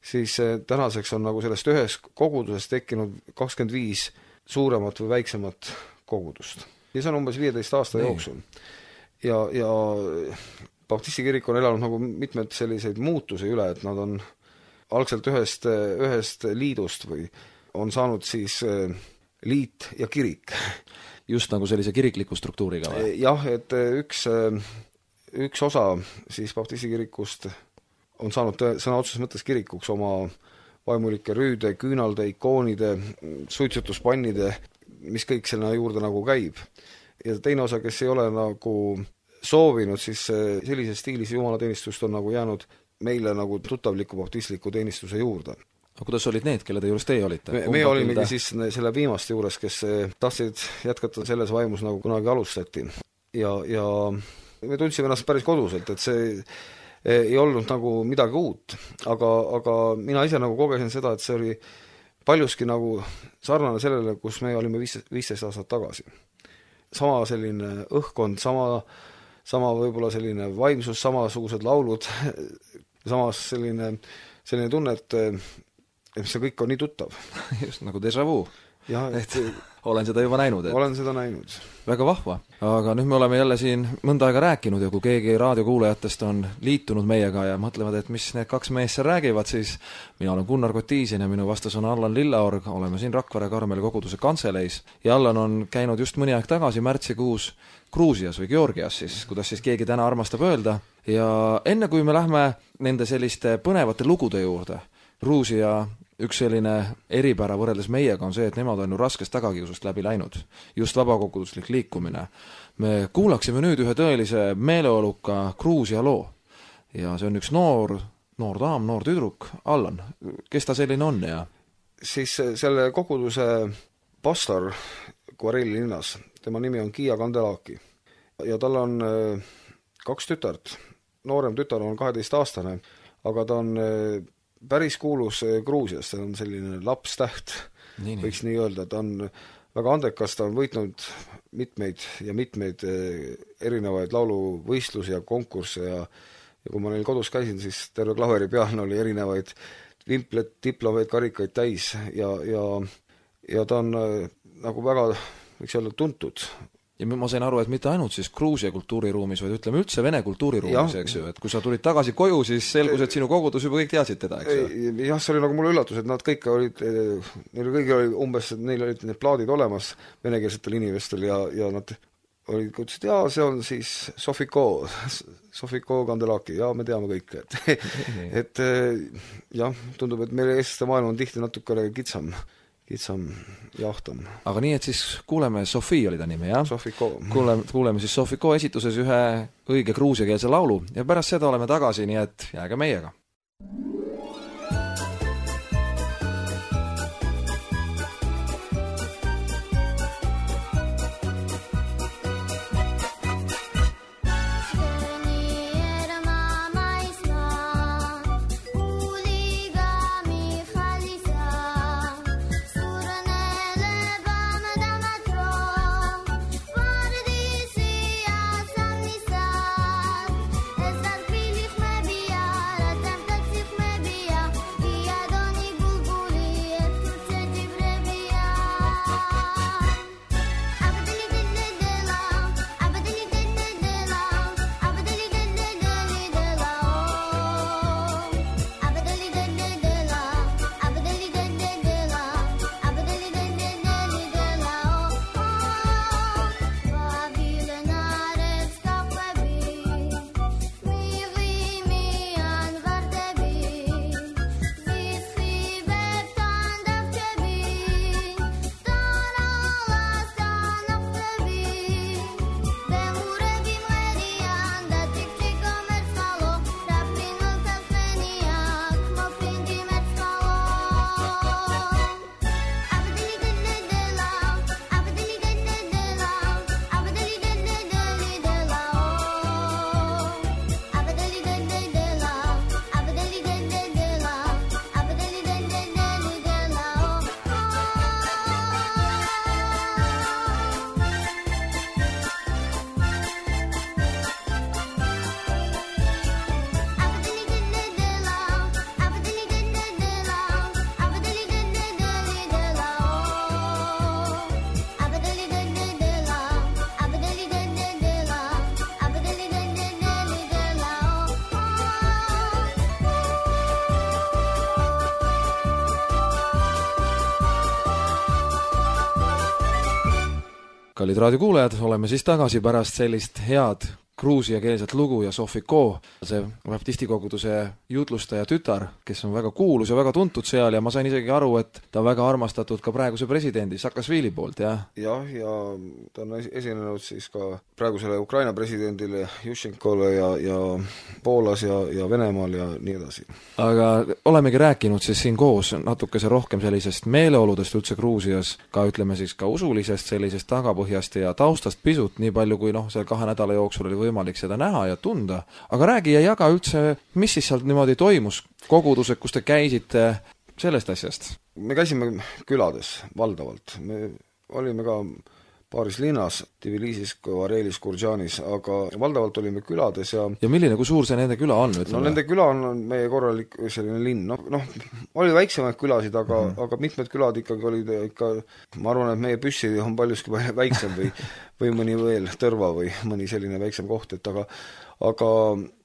siis tänaseks on nagu sellest ühes kogudusest tekkinud 25 suuremat või väiksemat kogudust. Ja see on umbes 15 aasta jooksul. Ja baptisti kirik on elanud nagu mitmed selliseid muutusi üle, et nad on algselt ühest liidust või on saanud siis liit ja kirik. Just nagu sellise kirikliku struktuuriga või? Jah, et üks osa siis baptisti kirikust on saanud sõna otseses mõttes kirikuks oma vaimulike rüüde, küünalde, ikoonide, suitsutuspannide, mis kõik selle juurde nagu käib. Ja teine osa, kes ei ole nagu soovinud, siis sellises stiilis jumalateenistust on nagu jäänud meile nagu tuttavliku baptistliku teenistuse juurde. Aga kuidas olid need, kelle te juures teie olite? Me olimegi siis selle viimaste juures, kes tahtsid jätkata selles vaimus nagu kunagi alustati. Ja me tundsime ennast päris koduselt, et see ei olnud nagu midagi uut, aga mina ise nagu kogesin seda, et see oli paljuski nagu sarnane sellele, kus me olime 15 aastat tagasi. Sama selline õhkkond, sama võib-olla selline vaimsus, samasugused laulud, samas selline tunne, et see kõik on nii tuttav. Just nagu déjà vu. Ja, et olen seda juba näinud. Olen seda näinud. Väga vahva. Aga nüüd me oleme jälle siin mõnda aega rääkinud ja kui keegi raadiokuulajatest on liitunud meiega ja mõtlevad, et mis need kaks meest seal räägivad, siis mina olen Gunnar Kotiisin ja minu vastas on Allan Lillaorg, oleme siin Rakvere Karmeli koguduse kantseleis ja Allan on käinud just mõni aeg tagasi märtsikuus Gruusias või Georgias siis, kuidas siis keegi täna armastab öelda. Ja enne kui me lähme nende selliste põnevate lugude juurde, Gruusia üks selline eripära võrreldes meiega on see, et nemad on ju raskest tagakiusust läbi läinud. Just vabakoguduslik liikumine. Me kuulaksime nüüd ühe tõelise meeleoluka Gruusia loo. Ja see on üks noor daam, noor tüdruk, Allan. Kes ta selline on? Ja? Siis selle koguduse pastor Kvareli linnas, tema nimi on Kia Kandelaki. Ja tal on 2 tütart. Noorem tütar on 12-aastane, aga ta on päris kuulus Gruusias, see on selline lapstäht, võiks nii öelda, ta on väga andekas, ta on võitnud mitmeid erinevaid lauluvõistlusi ja konkursse ja kui ma neil kodus käisin, siis terve klaveri peal oli erinevaid vimpleid, diplomeid, karikaid täis ja ta on nagu väga, võiks öelda, tuntud. Ja ma sain aru, et mitte ainult siis Gruusia kultuuriruumis, vaid ütleme üldse Vene kultuuriruumis, eks ju, et kui sa tulid tagasi koju, siis selgus, et sinu kogudus juba kõik teadsid teda, eks ju? Jah, see oli nagu mulle üllatus, et nad kõik olid, neil olid umbes, neil olid need plaadid olemas venekeelsetel inimestel ja nad olid, ütlesid, see on siis Sofiko Kandelaki, me teame kõik, et jah, tundub, et meie eestlaste maailm on tihti natuke kitsam jahtam. Aga nii, et siis kuuleme, Sofi oli ta nimi, jah? Sofiko. Kuuleme siis Sofiko esituses ühe õige gruusiakeelse laulu ja pärast seda oleme tagasi, nii et jääge meiega. Ezar pilih me biar, tem tak cich me kallid raadiokuulajad, oleme siis tagasi pärast sellist head gruusiakeelset lugu ja Sofiko, see baptistikoguduse jutlustaja tütar, kes on väga kuulus ja väga tuntud seal ja ma sain isegi aru, et ta on väga armastatud ka praeguse presidendi Saakašvili poolt, jah? Jah, ja ta on esinenud siis ka praegusele Ukraina presidendile Juščenkole ja Poolas ja Venemaal ja nii edasi. Aga olemegi rääkinud siis siin koos natukese rohkem sellisest meeleoludest üldse Gruusias, ka ütleme siis ka usulisest sellisest tagapõhjast ja taustast pisut, nii palju kui seal 2 nädala jooksul oli võimalik seda näha ja tunda. Aga räägi ja jaga üldse, mis siis sealt niimoodi toimus, kogudused, kus te käisite, sellest asjast? Me käisime külades valdavalt. Me olime ka paaris linnas, Tbilisis, Varelis, Gurdžanis, aga valdavalt olime külades ja milline, kui suur see nende küla on? No nende küla on meie korralik selline linn. Oli väiksemaid külasid, aga mitmed külad ikkagi olid ikka, ma arvan, et meie Püssi on paljuski väiksem või mõni veel Tõrva või mõni selline väiksem koht, et aga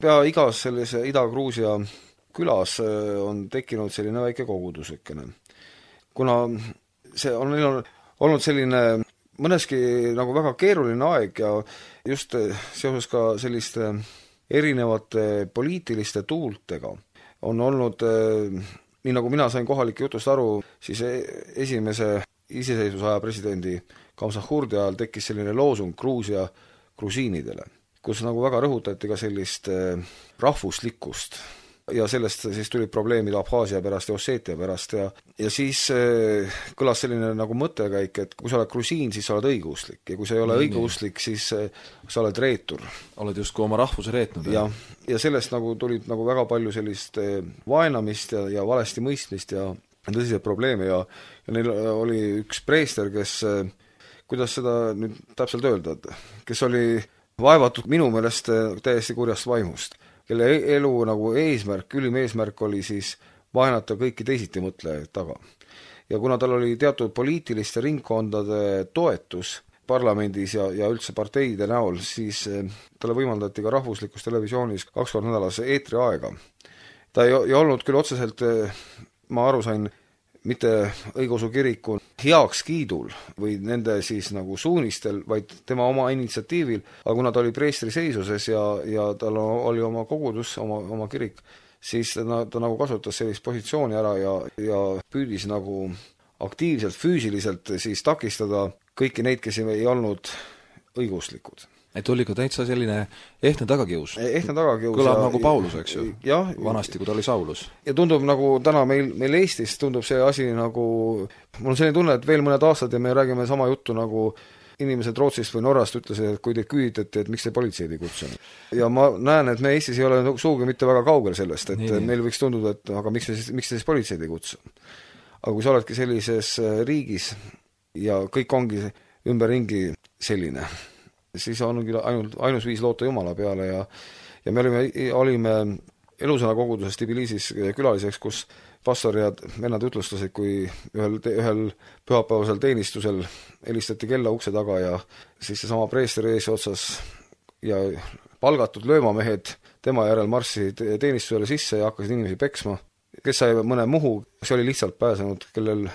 pea igas sellise Ida-Gruusia külas on tekkinud selline väike kogudusekene. Kuna see on olnud selline mõneski nagu väga keeruline aeg ja just seoses ka selliste erinevate poliitiliste tuultega on olnud, nii nagu mina sain kohalike jutust aru, siis esimese iseseisvusaja presidendi Gamsahurdi ajal tekkis selline loosung Gruusia grusiinidele, kus nagu väga rõhutati ka sellist rahvuslikkust. Ja sellest siis tuli probleemid Abhaasia pärast ja Osseetia pärast ja siis kõlas selline nagu mõttekäik, et kui sa oled grusiin, siis sa oled õigeuslik ja kui sa ei ole õigeuslik, siis sa oled reetur. Oled justkui oma rahvuse reetnud. Ja sellest nagu tulid nagu väga palju sellist vaenamist ja valesti mõistmist ja tõsiseid probleeme ja neil oli üks preester, kes, kuidas seda nüüd täpselt öelda, kes oli vaevatud minu meelest täiesti kurjast vaimust, kelle elu nagu eesmärk, ülim eesmärk oli siis vaenata kõiki teisiti mõtlejaid taga. Ja kuna tal oli teatud poliitiliste ringkondade toetus parlamendis ja üldse parteide näol, siis talle võimaldati ka rahvuslikus televisioonis 2 korda nädalas eetriaega. Ta ei olnud küll otseselt, ma aru sain, mitte õigeusu kiriku heakskiidul või nende siis nagu suunistel, vaid tema oma initsiatiivil, aga kuna ta oli preestri seisuses ja tal oli oma kogudus, oma kirik, siis ta nagu kasutas sellist positsiooni ära ja püüdis nagu aktiivselt, füüsiliselt siis takistada kõiki neid, kes ei olnud õiguslikud. Et oli ka täitsa selline ehtne tagakius. Kõlab nagu Paulus, eks ju? Jah. Vanasti, kui ta oli Saulus. Ja tundub nagu täna meil Eestis tundub see asi nagu, mul on selline tunne, et veel mõned aastad ja me räägime sama juttu nagu inimesed Rootsist või Norrast ütlesid, et kui te küüditati, et miks te politseid ei kutsunud. Ja ma näen, et me Eestis ei ole suugi mitte väga kaugel sellest, et meil võiks tunduda, et aga miks te siis politseid ei kutsu. Aga kui sa oledki sellises riigis ja kõik ongi ümberringi selline, siis ongi ainus viis loota Jumala peale ja me olime Elusõna koguduses Tbilisis külaliseks, kus pastor ja vennad ütlustasid, kui ühel pühapäevasel teenistusel helistati kella ukse taga ja siis seesama preester eesotsas ja palgatud löömamehed tema järel marssisid teenistusele sisse ja hakkasid inimesi peksma. Kes sai mõne muhu, see oli lihtsalt pääsenud, kellel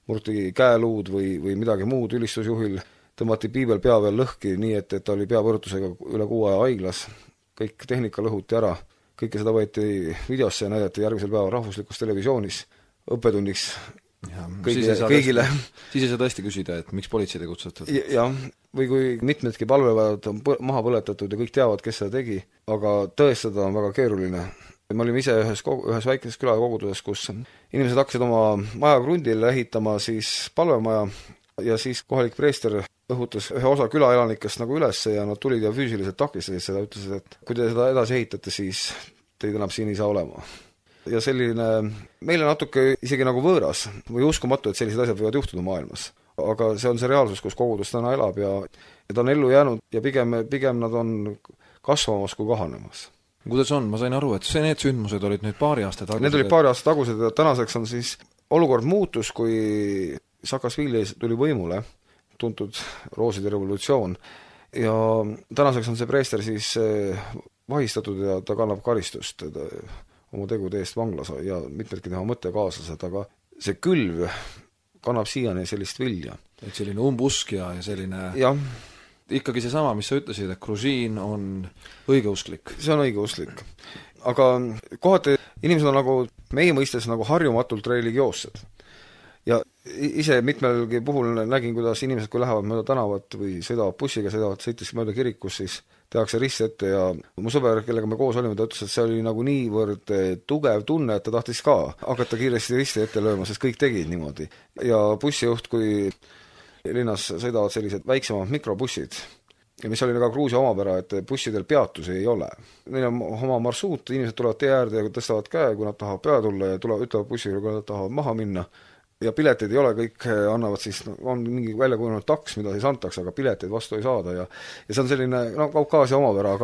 murti käeluud või midagi muud ülistusjuhil, tõmmati piibel pea veel lõhki, nii et ta oli peapõrutusega üle 6 aja haiglas, kõik tehnika lõhuti ära, kõike seda võeti videosse ja näidati järgmisel päeval rahvuslikus televisioonis õppetunniks kõigile. Siis ei saa tõesti küsida, et miks politseid ei kutsutud? Jah, või kui mitmedki palvevajad on maha põletatud ja kõik teavad, kes seda tegi, aga tõestada on väga keeruline. Me olime ise ühes väikeses külakoguduses, kus inimesed hakkasid oma maja krundile ehitama siis palvemaja ja siis kohalik preester õhutas ühe osa külaelanikest nagu üles ja nad tulid ja füüsiliselt takistasid seda, ütlesid, et kui te seda edasi ehitate, siis teid enam siin ei saa olema. Ja selline meile natuke isegi nagu võõras või uskumatu, et sellised asjad võivad juhtuda maailmas. Aga see on see reaalsus, kus kogudus täna elab ja ta on ellu jäänud ja pigem nad on kasvamas kui kahanemas. Kuidas on? Ma sain aru, et need sündmused olid nüüd paari aasta tagused. Need olid paari aasta tagused ja tänaseks on siis olukord muutus, kui Saakašvili tuli võimule, tuntud rooside revolutsioon, ja tänaseks on see preester siis vahistatud ja ta kannab karistust oma tegude eest vanglas ja mitmedki tema mõttekaaslased, aga see külv kannab siiani sellist vilja. et selline umbusk ja selline jah, ikkagi seesama, mis sa ütlesid, et grusiin on õigeusklik. see on õigeusklik. Aga kohati inimesed on nagu meie mõistes nagu harjumatult religioossed. Ja ise mitmelgi puhul nägin, kuidas inimesed, kui lähevad mööda tänavat või sõidavad bussiga, sõitis mööda kirikus, siis tehakse rist ette ja mu sõber, kellega me koos olime, ta ütles, et see oli nagu niivõrd tugev tunne, et ta tahtis ka hakata kiiresti risti ette lööma, sest kõik tegid niimoodi. Ja bussijuht, kui linnas sõidavad sellised väiksemad mikrobussid, ja mis oli ka Gruusia omapära, et bussidel peatusi ei ole. Neil on oma marsruut, inimesed tulevad tee äärde ja tõstavad käe, kui nad tahavad peale tulla ja ütlevad bussiga, kui nad tahavad maha minna. Ja pileteid ei ole, kõik annavad siis, on mingi välja kujunenud taks, mida siis antakse, aga pileteid vastu ei saada ja see on selline, Kaukaasia omapära,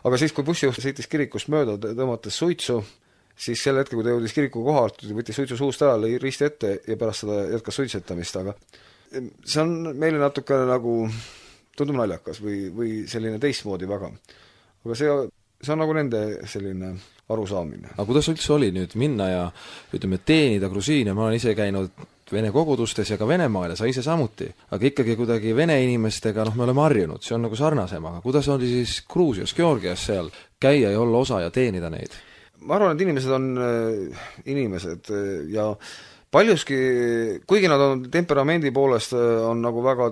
aga siis, kui bussijuht sõitis kirikust mööda, tõmmates suitsu, siis sel hetkel, kui ta jõudis kiriku kohalt, võttis suitsu suust ära, lõi risti ette ja pärast seda jätkas suitsetamist, aga see on meile natuke nagu tundub naljakas või selline teistmoodi väga. Aga see on nagu nende selline arusaamine. Aga kuidas üldse oli nüüd minna ja ütleme, teenida grusiine, ma olen ise käinud Vene kogudustes ja ka Venemaal ja sa ise samuti, aga ikkagi kuidagi vene inimestega, me oleme harjunud, see on nagu sarnasem, aga kuidas oli siis Gruusias, Georgias seal käia ja olla osa ja teenida neid? Ma arvan, et inimesed on inimesed ja paljuski, kuigi nad on temperamendi poolest on nagu väga,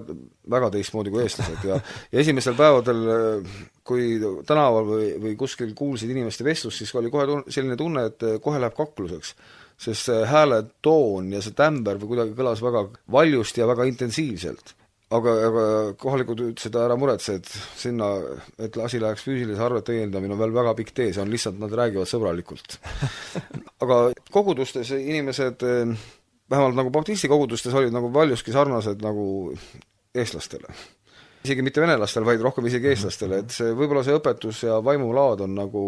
väga teistmoodi kui eestlased ja esimestel päevadel, kui tänaval või kuskil kuulsid inimeste vestlust, siis oli kohe selline tunne, et kohe läheb kakluseks, sest see hääle toon ja see tämber või kuidagi kõlas väga valjusti ja väga intensiivselt. Aga kohalikud ütlesid, ära muretse, et sinna, et asi läheks füüsilise arvete õiendamine on veel väga pikk tee, see on lihtsalt, nad räägivad sõbralikult. Aga kogudustes inimesed, vähemalt nagu baptisti kogudustes olid nagu paljuski sarnased nagu eestlastele. Isegi mitte venelastele, vaid rohkem isegi eestlastele, et see, võib-olla see õpetus ja vaimulaad on nagu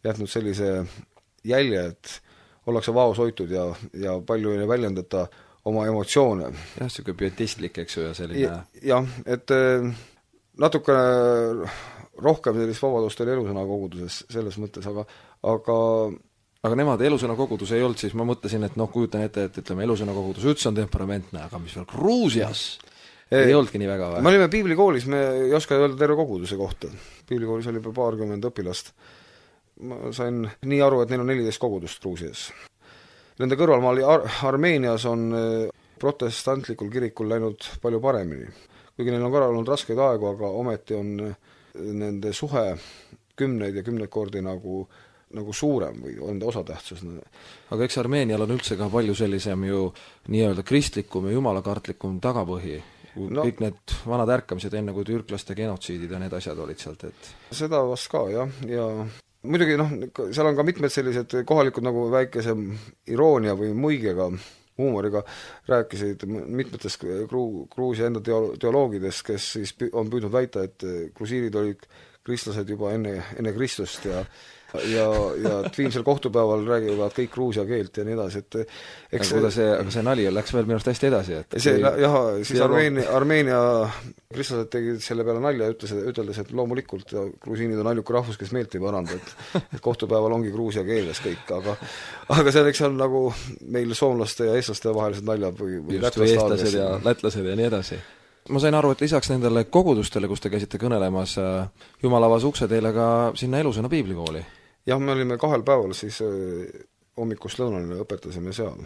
jätnud sellise jälje, et ollakse vaos hoitud ja palju ei väljendata oma emotsioone. Jah, see pietistlik, eks ju, ja selline... Jah, et natuke rohkem sellist vabadust oli elusõna koguduses selles mõttes, aga nemad elusõna kogudus ei olnud, siis ma mõtlesin, et kujutan ette, et ütleme, elusõna kogudus üldse on temperamentne, aga mis veel Gruusias ei olnudki nii väga või? Me olime piiblikoolis, me ei oska öelda terve koguduse kohta. Piiblikoolis oli juba 20 õpilast. Ma sain nii aru, et neil on 14 kogudust Gruusias. Nende kõrvalmaal Armeenias on protestantlikul kirikul läinud palju paremini. Kuigi neil on ka olnud raskeid aegu, aga ometi on nende suhe 10 ja 10 kordi nagu suurem või on osatähtsus. Aga eks Armeenial on üldse ka palju sellisem ju nii-öelda kristlikum ja jumalakartlikum tagapõhi. Kõik need vanad ärkamised enne, kui türklaste genotsiidid ja need asjad olid sealt, et... Seda vast ka, jah, ja muidugi, seal on ka mitmed sellised kohalikud nagu väikese iroonia või muigega, huumoriga rääkisid mitmetest Gruusia enda teoloogidest, kes siis on püüdnud väita, et grusiinid olid kristlased juba enne Kristust ja viimsel kohtupäeval räägivad kõik gruusia keelt ja nii edasi, et aga see nali läks veel minu arust hästi edasi, et siis Armeenia kristlased tegid selle peale nalja ja üteldes, et loomulikult grusiinid on ainuke rahvus, kes meelt ei paranda, et kohtupäeval ongi gruusia keeles kõik, aga selleks on nagu meil soomlaste ja eestlaste vahelised naljad või eestlased ja lätlased ja nii edasi. Ma sain aru, et lisaks nendele kogudustele, kus te käisite kõnelemas, Jumal avas ukse teile ka sinna elusõna piiblikooli. Jah, me olime 2 päeval, siis hommikust lõunani õpetasime seal.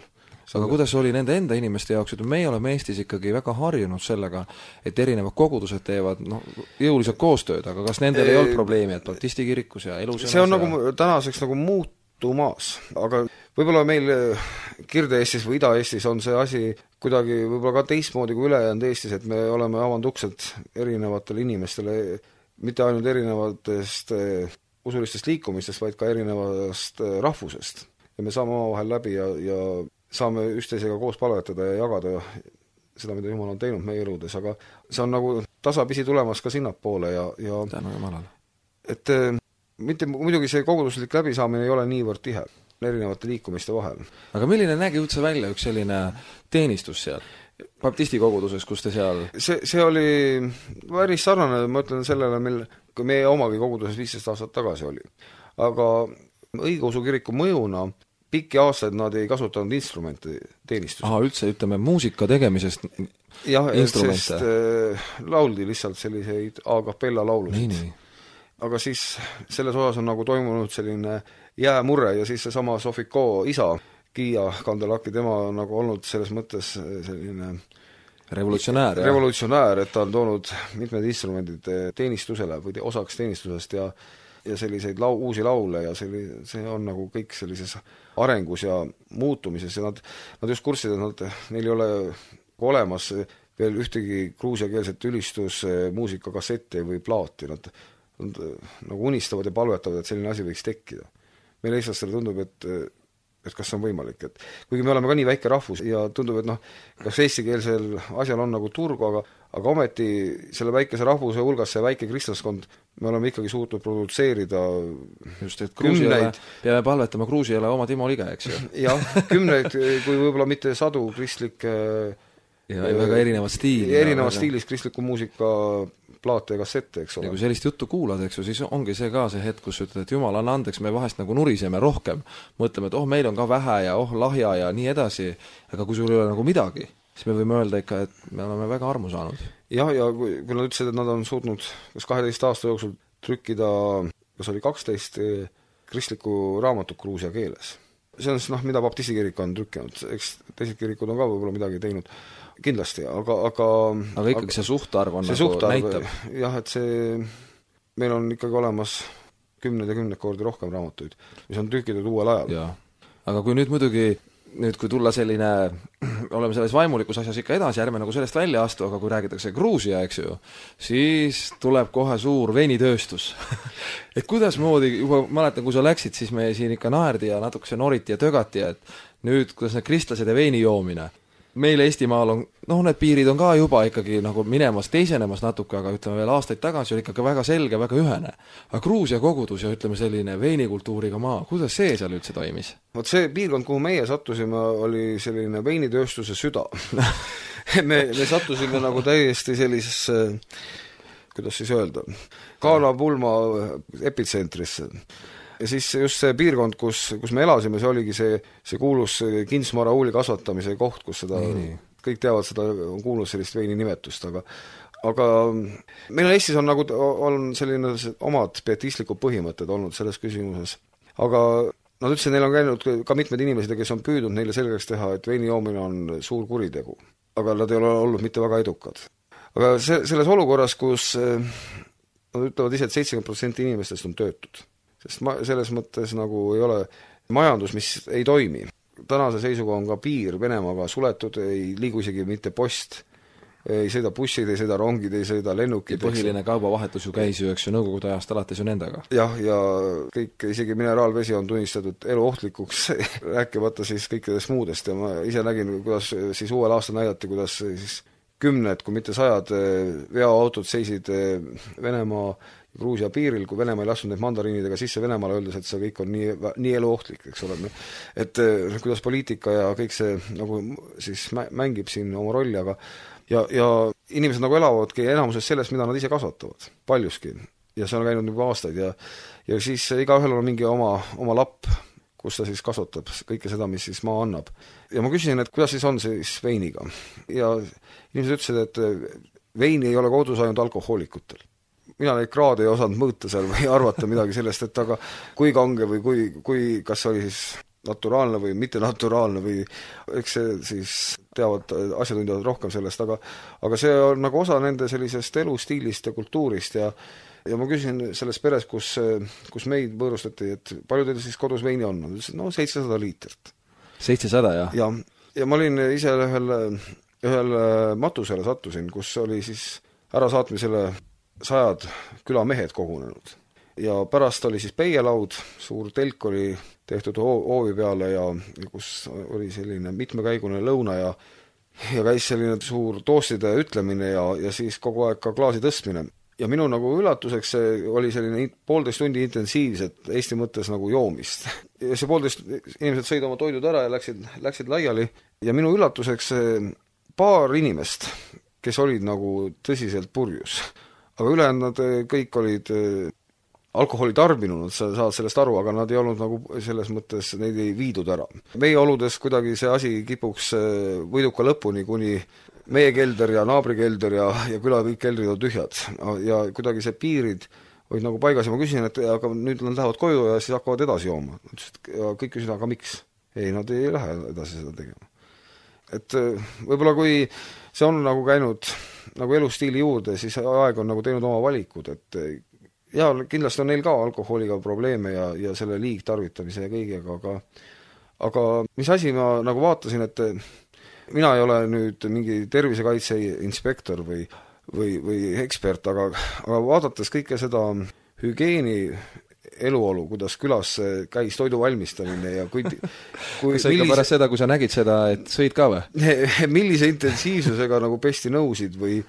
Aga kuidas oli nende enda inimeste jaoks, et meie oleme Eestis ikkagi väga harjunud sellega, et erinevad kogudused teevad jõuliselt koostööd, aga kas nendel ei olnud probleemi, et baptisti kirikus ja elusõnas see on nagu tänaseks nagu muutumas, aga võib-olla meil Kirde-Eestis või Ida-Eestis on see asi kuidagi võib-olla ka teistmoodi kui ülejäänud Eestis, et me oleme avanud uksed erinevatele inimestele, mitte ainult erinevatest usulistest liikumistest, vaid ka erinevast rahvusest. Ja me saame omavahel läbi ja saame üksteisega koos palvetada ja jagada seda, mida Jumal on teinud meie eludes, aga see on nagu tasapisi tulemas ka sinnapoole ja tänu Jumalale. Et mitte muidugi see koguduslik läbisaamine ei ole niivõrd tihe erinevate liikumiste vahel. Aga milline nägi üldse välja üks selline teenistus seal? Baptisti koguduses, kus te seal... See oli päris sarnane, ma ütlen sellele, kui meie omagi koguduses 15 aastat tagasi oli. Aga õigeusu kiriku mõjuna pikki aastaid nad ei kasutanud instrumente teenistusel. Üldse, ütleme, muusika tegemisest jah, instrumente. sest lauldi lihtsalt selliseid a cappella laulusid. Nii. Aga siis selles osas on nagu toimunud selline jäämurre ja siis seesama Sofiko isa, Kiia Kandelaki, tema on nagu olnud selles mõttes selline revolutsionäär, et ta on toonud mitmed instrumendid teenistusele või osaks teenistusest ja selliseid uusi laule ja see on nagu kõik sellises arengus ja muutumises ja nad just kursid, et neil ei ole olemas veel ühtegi gruusiakeelset ülistusmuusikakassetti või plaati, nad nagu unistavad ja palvetavad, et selline asi võiks tekkida. Meil eestlastele tundub, et kas see on võimalik, et kuigi me oleme ka nii väike rahvus ja tundub, et kas eestikeelsel asjal on nagu turgu, aga ometi selle väikese rahvuse hulgas see väike kristlaskond, me oleme ikkagi suutnud produtseerida just, et Gruusiale, peame palvetama Gruusiale oma Timo Lige, eks ju. jah, kümneid, kui võib-olla mitte sadu kristlikke ja väga erinevat stiili. Erinevas stiilis kristliku muusika plaate ja kassette, eks ole. Ja kui sellist juttu kuulad, eks ju, siis ongi see ka see hetk, kus ütled, et jumal, anna andeks, me vahest nagu nuriseme rohkem. Mõtleme, et meil on ka vähe ja lahja ja nii edasi, aga kui sul ei ole nagu midagi, siis me võime öelda ikka, et me oleme väga armu saanud. Jah, ja kui nad ütlesid, et nad on suutnud kas 12 aasta jooksul trükkida, kas oli 12 kristlikku raamatut Gruusia keeles. See on mida baptisti kirik on trükkinud, eks teised kirikud on ka võib-olla midagi teinud. Kindlasti, aga ikkagi see suhtarv on nagu näitab. Jah, et meil on ikkagi olemas 10 ja 10 kordi rohkem raamatuid, mis on trükitud uuel ajal. Ja. Aga kui kui tulla selline, oleme selles vaimulikus asjas ikka edasi, ärme nagu sellest välja astu, aga kui räägitakse Gruusia, eks ju, siis tuleb kohe suur veinitööstus. Et kuidas moodi, juba mäletan, kui sa läksid, siis me siin ikka naerdi ja natukese noriti ja tögati, et nüüd, kuidas need kristlased ja veini joomine. Meil Eestimaal on, need piirid on ka juba ikkagi nagu minemas, teisenemas natuke, aga ütleme veel aastaid tagasi oli ikkagi väga selge, väga ühene. Aga Gruusia kogudus ja ütleme selline veinikultuuriga maa, kuidas see seal üldse toimis? Vot see piirkond, kuhu meie sattusime, oli selline veinitööstuse süda. me sattusime nagu täiesti sellisesse, kuidas siis öelda, Kaana-Pulma epitsentrisse. Ja siis just see piirkond, kus me elasime, see oligi see kuulus Kinsmara uuli kasvatamise koht, kus seda, kõik teavad seda, on kuulnud sellist veini nimetust, aga meil Eestis on nagu on selline omad pietistlikud põhimõtted olnud selles küsimuses. Aga nad ütlesid, neil on käinud ka mitmed inimesed, kes on püüdnud neile selgeks teha, et veini joomine on suur kuritegu, aga nad ei ole olnud mitte väga edukad. Aga selles olukorras, kus nad ütlevad ise, et 70% inimestest on töötud, sest selles mõttes nagu ei ole majandus, mis ei toimi. Tänase seisuga on ka piir Venemaaga suletud, ei liigu isegi mitte post, ei sõida bussid, ei sõida rongid, ei sõida lennukid. Ja põhiline kaubavahetus ju käis ju, eks ju, nõukogude ajast alates ju nendega. Jah, ja kõik, isegi mineraalvesi on tunnistatud eluohtlikuks, rääkimata siis kõikidest muudest ja ma ise nägin, kuidas siis uuel aastal näidati, kuidas siis 10, kui mitte 100 veoautod seisid Venemaa Gruusia piiril, kui Venemaa ei lastud neid mandariinidega sisse Venemaale, öeldes, et see kõik on nii eluohtlik, eks ole. Et kuidas poliitika ja kõik see nagu siis mängib siin oma rolli, aga ja inimesed nagu elavadki enamuses sellest, mida nad ise kasvatavad, paljuski. Ja see on käinud juba aastaid ja siis igaühel on mingi oma lapp, kus ta siis kasvatab kõike seda, mis siis maa annab. Ja ma küsisin, et kuidas siis on siis veiniga. Ja inimesed ütlesid, et veini ei ole kodus ainult alkohoolikutel. Mina neid kraade ei osanud mõõta seal või arvata midagi sellest, et aga kui kange või kui kas oli siis naturaalne või mitte naturaalne või eks see siis teavad asjatundjad rohkem sellest, aga see on nagu osa nende sellisest elustiilist ja kultuurist ja ma küsisin selles peres, kus meid võõrustati, et palju teil siis kodus veini on? Nad ütlesid, 700 liitrit. 700, jah? Ja ma olin ise ühel matusele sattusin, kus oli siis ärasaatmisele 100 külamehed kogunenud. Ja pärast oli siis peielaud, suur telk oli tehtud hoovi peale ja kus oli selline mitmekäigune lõuna ja käis selline suur toostide ütlemine ja siis kogu aeg ka klaasi tõstmine. Ja minu nagu üllatuseks oli selline 1,5 tundi intensiivset Eesti mõttes nagu joomist. Ja see 1,5 inimesed sõid oma toidud ära ja läksid laiali ja minu üllatuseks paar inimest, kes olid nagu tõsiselt purjus. Aga ülejäänud nad kõik olid alkoholi tarbinud, sa saad sellest aru, aga nad ei olnud nagu selles mõttes, neid ei viidud ära. Meie oludes kuidagi see asi kipuks võiduka lõpuni, kuni meie kelder ja naabri kelder ja küla kõik keldrid on tühjad. Ja kuidagi see piirid olid nagu paigas ja ma küsin, et aga nüüd nad lähevad koju ja siis hakkavad edasi jooma. Ja kõik küsisid, aga miks? Ei, nad ei lähe edasi seda tegema. Et võib-olla kui see on nagu käinud nagu elustiili juurde, siis aeg on nagu teinud oma valikud, et ja kindlasti on neil ka alkoholiga probleeme ja selle liigtarvitamise ja kõigega, aga mis asi ma nagu vaatasin, et mina ei ole nüüd mingi tervisekaitse inspektor või ekspert, aga vaadates kõike seda hügieeni eluolu, kuidas külas käis toidu valmistamine ja kui kas sa ikka pärast seda, kui sa nägid seda, et sõid ka või? Millise intensiivsusega nagu pesti nõusid või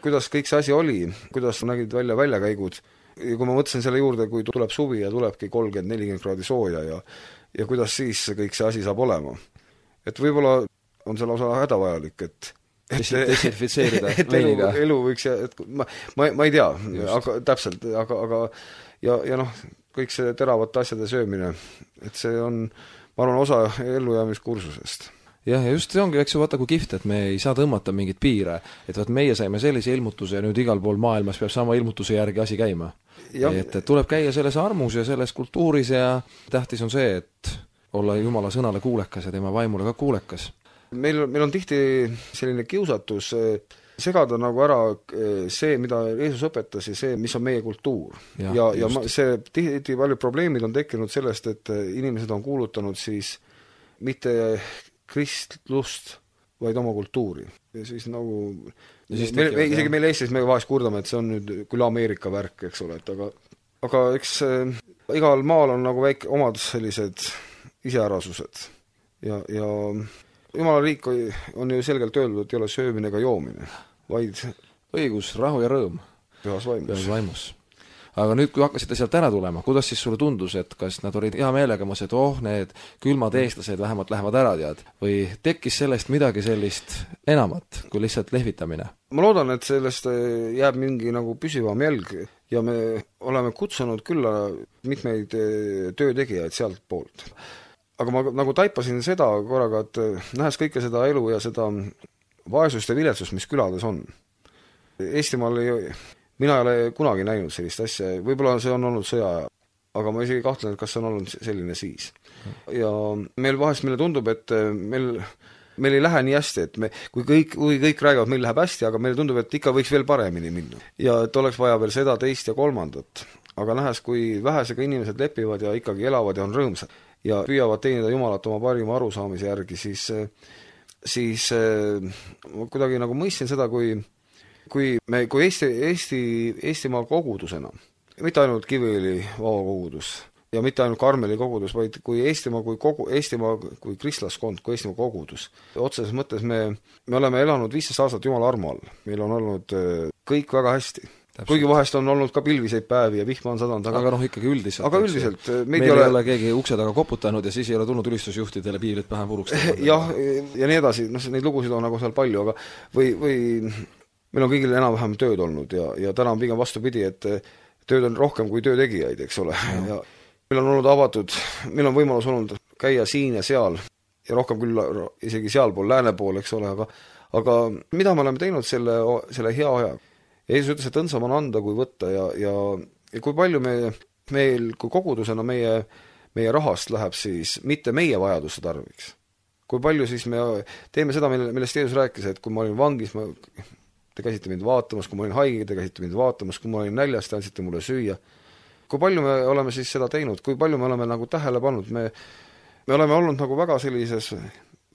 kuidas kõik see asi oli, kuidas nägid välja väljakäigud. Ja kui ma mõtlesin selle juurde, kui tuleb suvi ja tulebki 30-40 kraadi sooja ja kuidas siis kõik see asi saab olema. Et võib-olla on selle osa hädavajalik, et desinfitseerida veiniga. Elu võiks, et ma ei tea, aga täpselt, aga ja noh, kõik see teravate asjade söömine, et see on, ma arvan, osa ellujäämiskursusest. Jah, ja just see ongi, eks ju, vaata kui kihvt, et me ei saa tõmmata mingit piire, et vaat meie saime sellise ilmutuse ja nüüd igal pool maailmas peab sama ilmutuse järgi asi käima. Et tuleb käia selles armus ja selles kultuuris ja tähtis on see, et olla Jumala sõnale kuulekas ja tema vaimule ka kuulekas. Meil on tihti selline kiusatus segada nagu ära see, mida Jeesus õpetas ja see, mis on meie kultuur. Ja see tihti paljud probleemid on tekkinud sellest, et inimesed on kuulutanud siis mitte kristlust, vaid oma kultuuri. Ja siis nagu isegi meil Eestis me vahest kurdame, et see on nüüd küll Ameerika värk, eks ole, et aga eks igal maal on nagu väike omad sellised iseärasused ja Jumala riik on ju selgelt öeldud, et ei ole söömine ega joomine, vaid õigus, rahu ja rõõm pühas vaimus. Aga nüüd, kui hakkasite sealt ära tulema, kuidas siis sulle tundus, et kas nad olid hea meelega, et need külmad eestlased vähemalt lähevad ära, tead? Või tekkis sellest midagi sellist enamat kui lihtsalt lehvitamine? Ma loodan, et sellest jääb mingi nagu püsivam jälg ja me oleme kutsunud külla mitmeid töötegijaid sealt poolt. Aga ma nagu taipasin seda korraga, et nähes kõike seda elu ja seda vaesust ja viletsust, mis külades on. Eestimaal mina ei ole kunagi näinud sellist asja, võib-olla see on olnud sõja, aga ma isegi kahtlen, et kas see on olnud selline siis. Ja meil vahest meile tundub, et meil ei lähe nii hästi, et kui kõik räägivad, meil läheb hästi, aga meile tundub, et ikka võiks veel paremini minna. Ja et oleks vaja veel seda, teist ja kolmandat. Aga nähes, kui vähesega inimesed lepivad ja ikkagi elavad ja on rõõmsad ja püüavad teenida Jumalat oma parima arusaamise järgi, siis kuidagi nagu mõistsin seda, kui Eestimaa kogudusena, mitte ainult Kiviõli vabakogudus ja mitte ainult Karmeli kogudus, vaid kui Eestimaa kui kristlaskond, kui Eestimaa kogudus. Otseses mõttes me oleme elanud 15 aastat Jumala armu all. Meil on olnud kõik väga hästi. Täpselt. Kuigi vahest on olnud ka pilviseid päevi ja vihma on sadanud. Aga ikkagi üldiselt. Aga üldiselt. Meil ei ole keegi ukse taga koputanud ja siis ei ole tulnud ülistusjuhtidele piirid pähe puruks. Jah, ja nii edasi. Neid lugusid on nagu seal palju, aga või meil on kõigil enam-vähem tööd olnud ja täna on pigem vastupidi, et tööd on rohkem kui töötegijaid, eks ole. Ja meil on olnud avatud, meil on võimalus olnud käia siin ja seal ja rohkem küll isegi sealpool, lääne pool, eks ole, aga mida me oleme teinud selle hea aja? Jeesus ütles, et õndsam on anda kui võtta ja kui palju meil kui kogudusena meie rahast läheb siis mitte meie vajaduste tarviks. Kui palju siis me teeme seda, millest Jeesus rääkis, et kui ma olin vangis, te käisite mind vaatamas, kui ma olin haige, te käisite mind vaatamas, kui ma olin näljas, te andsite mulle süüa. Kui palju me oleme siis seda teinud, kui palju me oleme nagu tähele pannud, me oleme olnud nagu väga sellises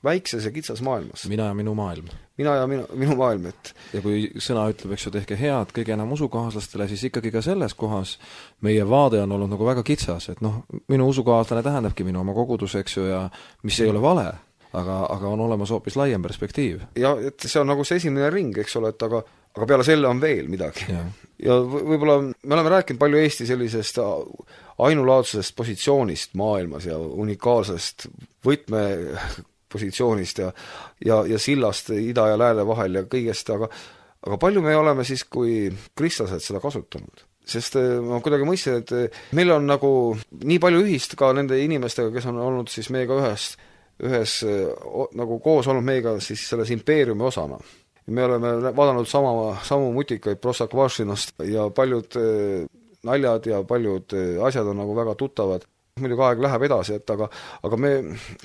väikses ja kitsas maailmas. Mina ja minu maailm. Mina ja minu maailm, et ja kui sõna ütleb, eks ju, tehke head kõige enam usukaaslastele, siis ikkagi ka selles kohas meie vaade on olnud nagu väga kitsas, et minu usukaaslane tähendabki minu oma kogudus, eks ju, ja mis ei ole vale, aga on olemas hoopis laiem perspektiiv. Ja et see on nagu see esimene ring, eks ole, et aga peale selle on veel midagi. Ja võib-olla me oleme rääkinud palju Eesti sellisest ainulaadsusest positsioonist maailmas ja unikaalsest võtmepositsioonist ja sillast ida ja lääne vahel ja kõigest, aga palju me oleme siis kui kristlased seda kasutanud? sest ma kuidagi mõistsin, et meil on nagu nii palju ühist ka nende inimestega, kes on olnud siis meiega ühes nagu koos olnud meiega siis selles impeeriumi osana. Me oleme vaadanud samu mutikaid Prosakvašinost ja paljud naljad ja paljud asjad on nagu väga tuttavad. Muidugi aeg läheb edasi, aga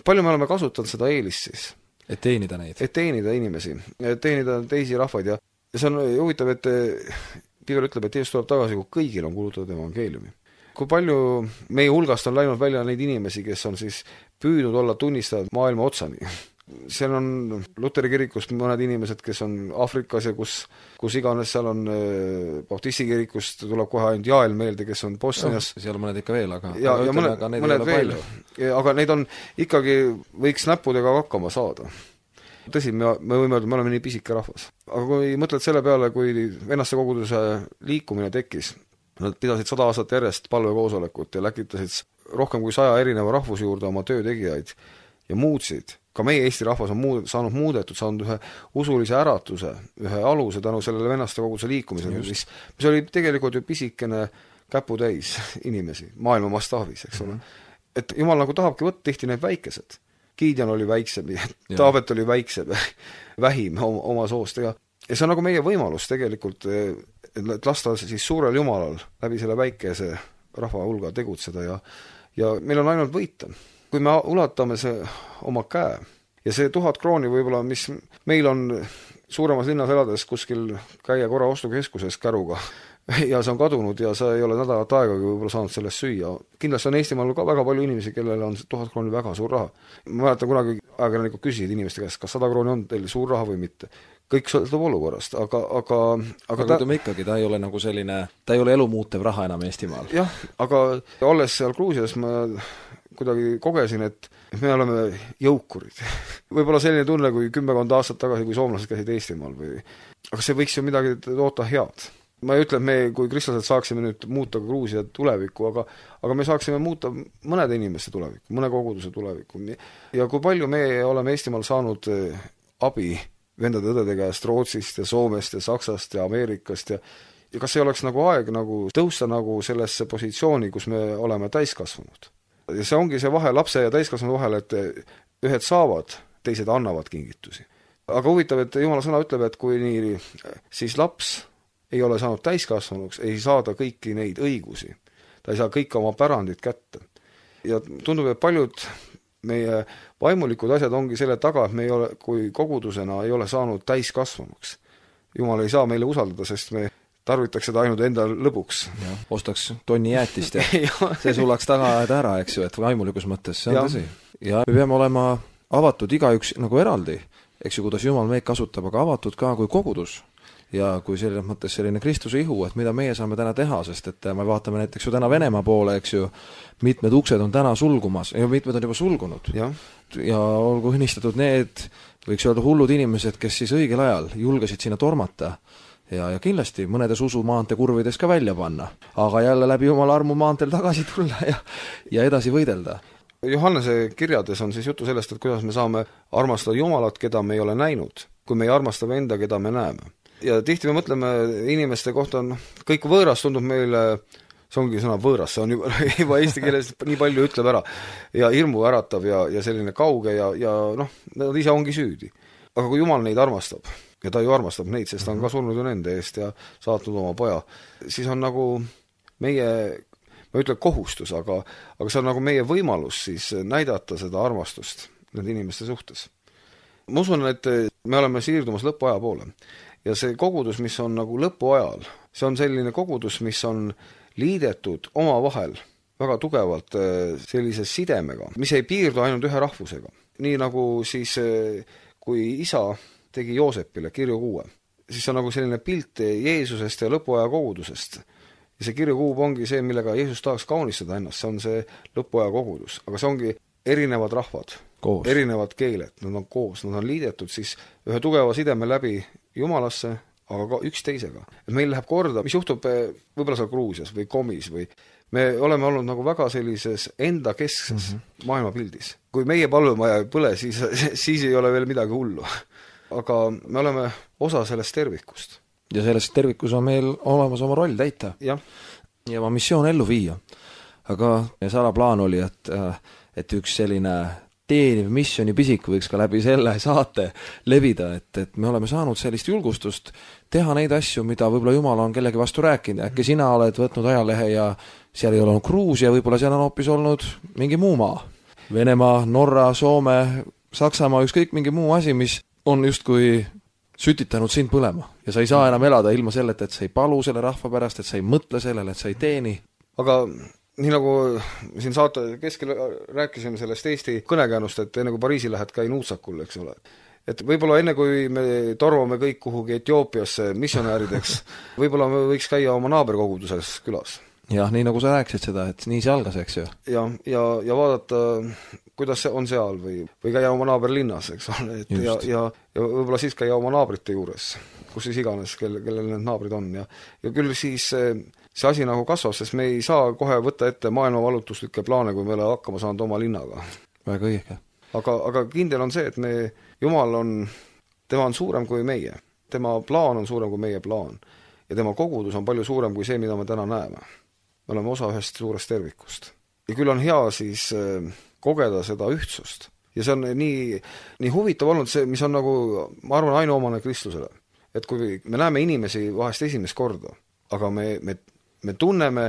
palju me oleme kasutanud seda eelist siis. Et teenida neid. Et teenida inimesi, et teenida teisi rahvaid ja see on huvitav, et Piivel ütleb, et Jeesus tuleb tagasi, kui kõigil on kuulutatud evangeeliumi. Kui palju meie hulgast on läinud välja neid inimesi, kes on siis püüdnud olla tunnistajad maailma otsani. Seal on Luteri kirikust mõned inimesed, kes on Aafrikas ja kus iganes seal on Baptisti kirikust tuleb kohe ainult Jael meelde, kes on Bosnias. Seal mõned ikka veel, aga mõned veel. Aga neid on ikkagi, võiks näppudega hakkama saada. Tõsi, me võime öelda, me oleme nii pisike rahvas. Aga kui mõtled selle peale, kui vennaste koguduse liikumine tekkis, nad pidasid 100 aastat järjest palvekoosolekut ja läkitasid rohkem kui 100 erineva rahvuse juurde oma töötegijaid ja muutsid. Ka meie Eesti rahvas on saanud ühe usulise äratuse, ühe aluse tänu sellele vennaste koguduse liikumisele, mis oli tegelikult ju pisikene käputäis inimesi maailma mastaabis, eks ole. Et Jumal nagu tahabki võtta tihti need väikesed. Gideon oli väiksem, Taabet oli väiksem, vähim oma soost ja see on nagu meie võimalus tegelikult, et lasta siis suurel Jumalal läbi selle väikese rahva hulga tegutseda ja meil on ainult võita. Kui me ulatame see oma käe ja see 1000 krooni võib-olla, mis meil on suuremas linnas elades kuskil käia korra ostukeskuses käruga ja see on kadunud ja sa ei ole nädalat aegagi võib-olla saanud sellest süüa. Kindlasti on Eestimaal ka väga palju inimesi, kellel on 1000 krooni väga suur raha. Ma mäletan kunagi ajakirjanikud küsisid inimeste käest, kas 100 krooni on teil suur raha või mitte. Kõik sõltub olukorrast, aga ütleme ikkagi, ta ei ole nagu selline, ta ei ole elumuutev raha enam Eestimaal. Jah, aga olles seal Gruusias ma kuidagi kogesin, et me oleme jõukurid. Võib-olla selline tunne, kui 10 aastat tagasi, kui soomlased käisid Eestimaal aga see võiks ju midagi toota head. Ma ei ütle, et me kui kristlased saaksime nüüd muuta Gruusia tulevikku, aga me saaksime muuta mõnede inimeste tulevikku, mõne koguduse tulevikku. Ja kui palju me oleme Eestimaal saanud abi vendade-õdede käest Rootsist ja Soomest ja Saksast ja Ameerikast ja kas ei oleks nagu aeg nagu tõusta nagu sellesse positsiooni, kus me oleme täiskasvanud. Ja see ongi see vahe lapse ja täiskasvanu vahel, et ühed saavad, teised annavad kingitusi. Aga huvitav, et Jumala sõna ütleb, et kui nii, siis laps ei ole saanud täiskasvanuks, ei saada kõiki neid õigusi. Ta ei saa kõike oma pärandit kätte. Ja tundub, et paljud meie vaimulikud asjad ongi selle taga, et me ei ole, kui kogudusena ei ole saanud täiskasvanuks. Jumal ei saa meile usaldada, sest me tarvitaks seda ainult enda lõbuks. Ja, ostaks tonni jäätist ja see sulaks taga ära, eks ju, et vaimulikus mõttes, see on tõsi. Ja me peame olema avatud igaüks nagu eraldi, eks ju, kuidas Jumal meid kasutab, aga avatud ka kui kogudus. Ja kui selles mõttes selline Kristuse ihu, et mida meie saame täna teha, sest et me vaatame näiteks ju täna Venemaa poole, eks ju, mitmed uksed on täna sulgumas ja mitmed on juba sulgunud. Ja olgu õnnistatud need, võiks öelda hullud inimesed, kes siis õigel ajal julgesid sinna tormata ja kindlasti mõnedes usumaante kurvides ka välja panna, aga jälle läbi Jumala armu maanteel tagasi tulla ja edasi võidelda. Johannese kirjades on siis jutu sellest, et kuidas me saame armastada Jumalat, keda me ei ole näinud, kui me ei armasta enda, keda me näeme. Ja tihti me mõtleme inimeste kohta, kõik võõras tundub meile, see ongi sõna võõras, see on juba eesti keeles nii palju ütleb ära ja hirmu äratav ja selline kauge ja nad ise ongi süüdi. Aga kui Jumal neid armastab, ja ta ju armastab neid, sest ta on ka surnud ju nende eest ja saatnud oma poja, siis on nagu meie, ma ütlen kohustus, aga see on nagu meie võimalus siis näidata seda armastust nende inimeste suhtes. Ma usun, et me oleme siirdumas lõpuaja poole ja see kogudus, mis on nagu lõpuajal, see on selline kogudus, mis on liidetud oma vahel väga tugevalt sellise sidemega, mis ei piirdu ainult ühe rahvusega. Nii nagu siis, kui isa tegi Joosepile kirjukuue, siis on nagu selline pilt Jeesusest ja lõpuaja kogudusest. Ja see kirjukuub ongi see, millega Jeesus tahaks kaunistada ennast, see on see lõpuaja kogudus. Aga see ongi erinevad rahvad, erinevad keeled, nad on koos, nad on liidetud siis ühe tugeva sideme läbi Jumalasse, aga ka üks teisega. Et meil läheb korda, mis juhtub võib-olla seal Gruusias või Komis või me oleme olnud nagu väga sellises enda keskses maailmapildis. Kui meie palvemaja ei põle, siis ei ole veel midagi hullu. Aga me oleme osa sellest tervikust. ja selles tervikus on meil olemas oma roll täita. jah. Ja oma missioon ellu viia. Aga salaplaan oli, et üks selline teeniv missioni pisik võiks ka läbi selle saate levida, et me oleme saanud sellist julgustust teha neid asju, mida võib-olla Jumal on kellegi vastu rääkinud. Äkki sina oled võtnud ajalehe ja seal ei ole olnud Gruusia, võib-olla seal on hoopis olnud mingi muu maa. Venemaa, Norra, Soome, Saksamaa, ükskõik mingi muu asi, mis on justkui sütitanud sind põlema. Ja sa ei saa enam elada ilma selleta, et sa ei palu selle rahva pärast, et sa ei mõtle sellele, et sa ei teeni. Aga nii nagu siin saate keskel rääkisime sellest Eesti kõnekäänust, et enne kui Pariisi lähed, käi nuutsakul, eks ole. Et võib-olla enne kui me torvame kõik kuhugi Etioopiasse missionäärideks, võib-olla me võiks käia oma naaberkoguduses külas. Jah, nii nagu sa rääkisid seda, et nii see algas, eks ju. Ja vaadata, kuidas see on seal või käia oma naaberlinnas, eks ole, et ja võib-olla siis käia oma naabrite juures, kus siis iganes, kellel need naabrid on ja küll siis see asi nagu kasvab, sest me ei saa kohe võtta ette maailmavalutuslikke plaane, kui me ei ole hakkama saanud oma linnaga. Väga õige. Aga kindel on see, et Jumal tema on suurem kui meie. Tema plaan on suurem kui meie plaan. Ja tema kogudus on palju suurem kui see, mida me täna näeme. Me oleme osa ühest suurest tervikust. Ja küll on hea siis kogeda seda ühtsust. Ja see on nii huvitav olnud see, mis on nagu, ma arvan, ainuomane kristlusele. Et kui me näeme inimesi vahest esimest korda, aga me tunneme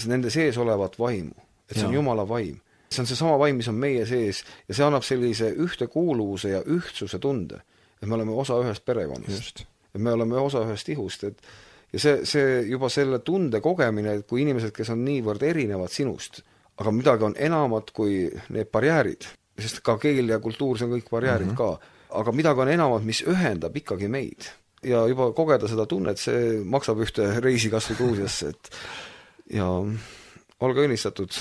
nende sees olevat vaimu, et see on Jumala vaim. See on seesama vaim, mis on meie sees ja see annab sellise ühtekuuluvuse ja ühtsuse tunde, et me oleme osa ühest perekonnast. Et me oleme osa ühest ihust, ja see juba selle tunde kogemine, kui inimesed, kes on niivõrd erinevad sinust, aga midagi on enamat kui need barjäärid, sest ka keel ja kultuur, see on kõik barjäärid ka, aga midagi on enamat, mis ühendab ikkagi meid. Ja juba kogeda seda tunnet, see maksab ühte reisi kas või Gruusiasse, ja olge õnnistatud.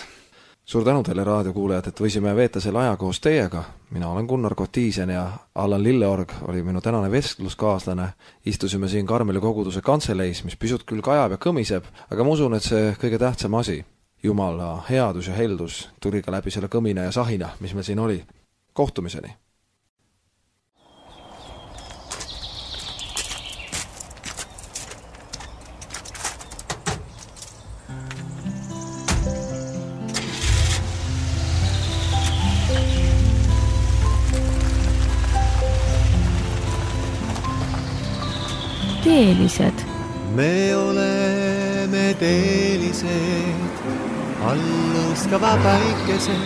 Suur tänu teile raadiokuulajad, et võisime veeta selle aja koos teiega. Mina olen Gunnar Kotiisen ja Allan Lilleorg oli minu tänane vestluskaaslane. Istusime siin Karmeli koguduse kantseleis, mis pisut küll kajab ja kõmiseb, aga ma usun, et see kõige tähtsam asi, Jumala headus ja heldus, tuli ka läbi selle kõmina ja sahina, mis meil siin oli. Kohtumiseni! Teelised. Me oleme teelised, alluskava päikesed.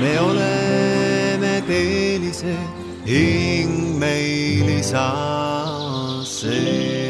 Me oleme teelised, hing meil saa see.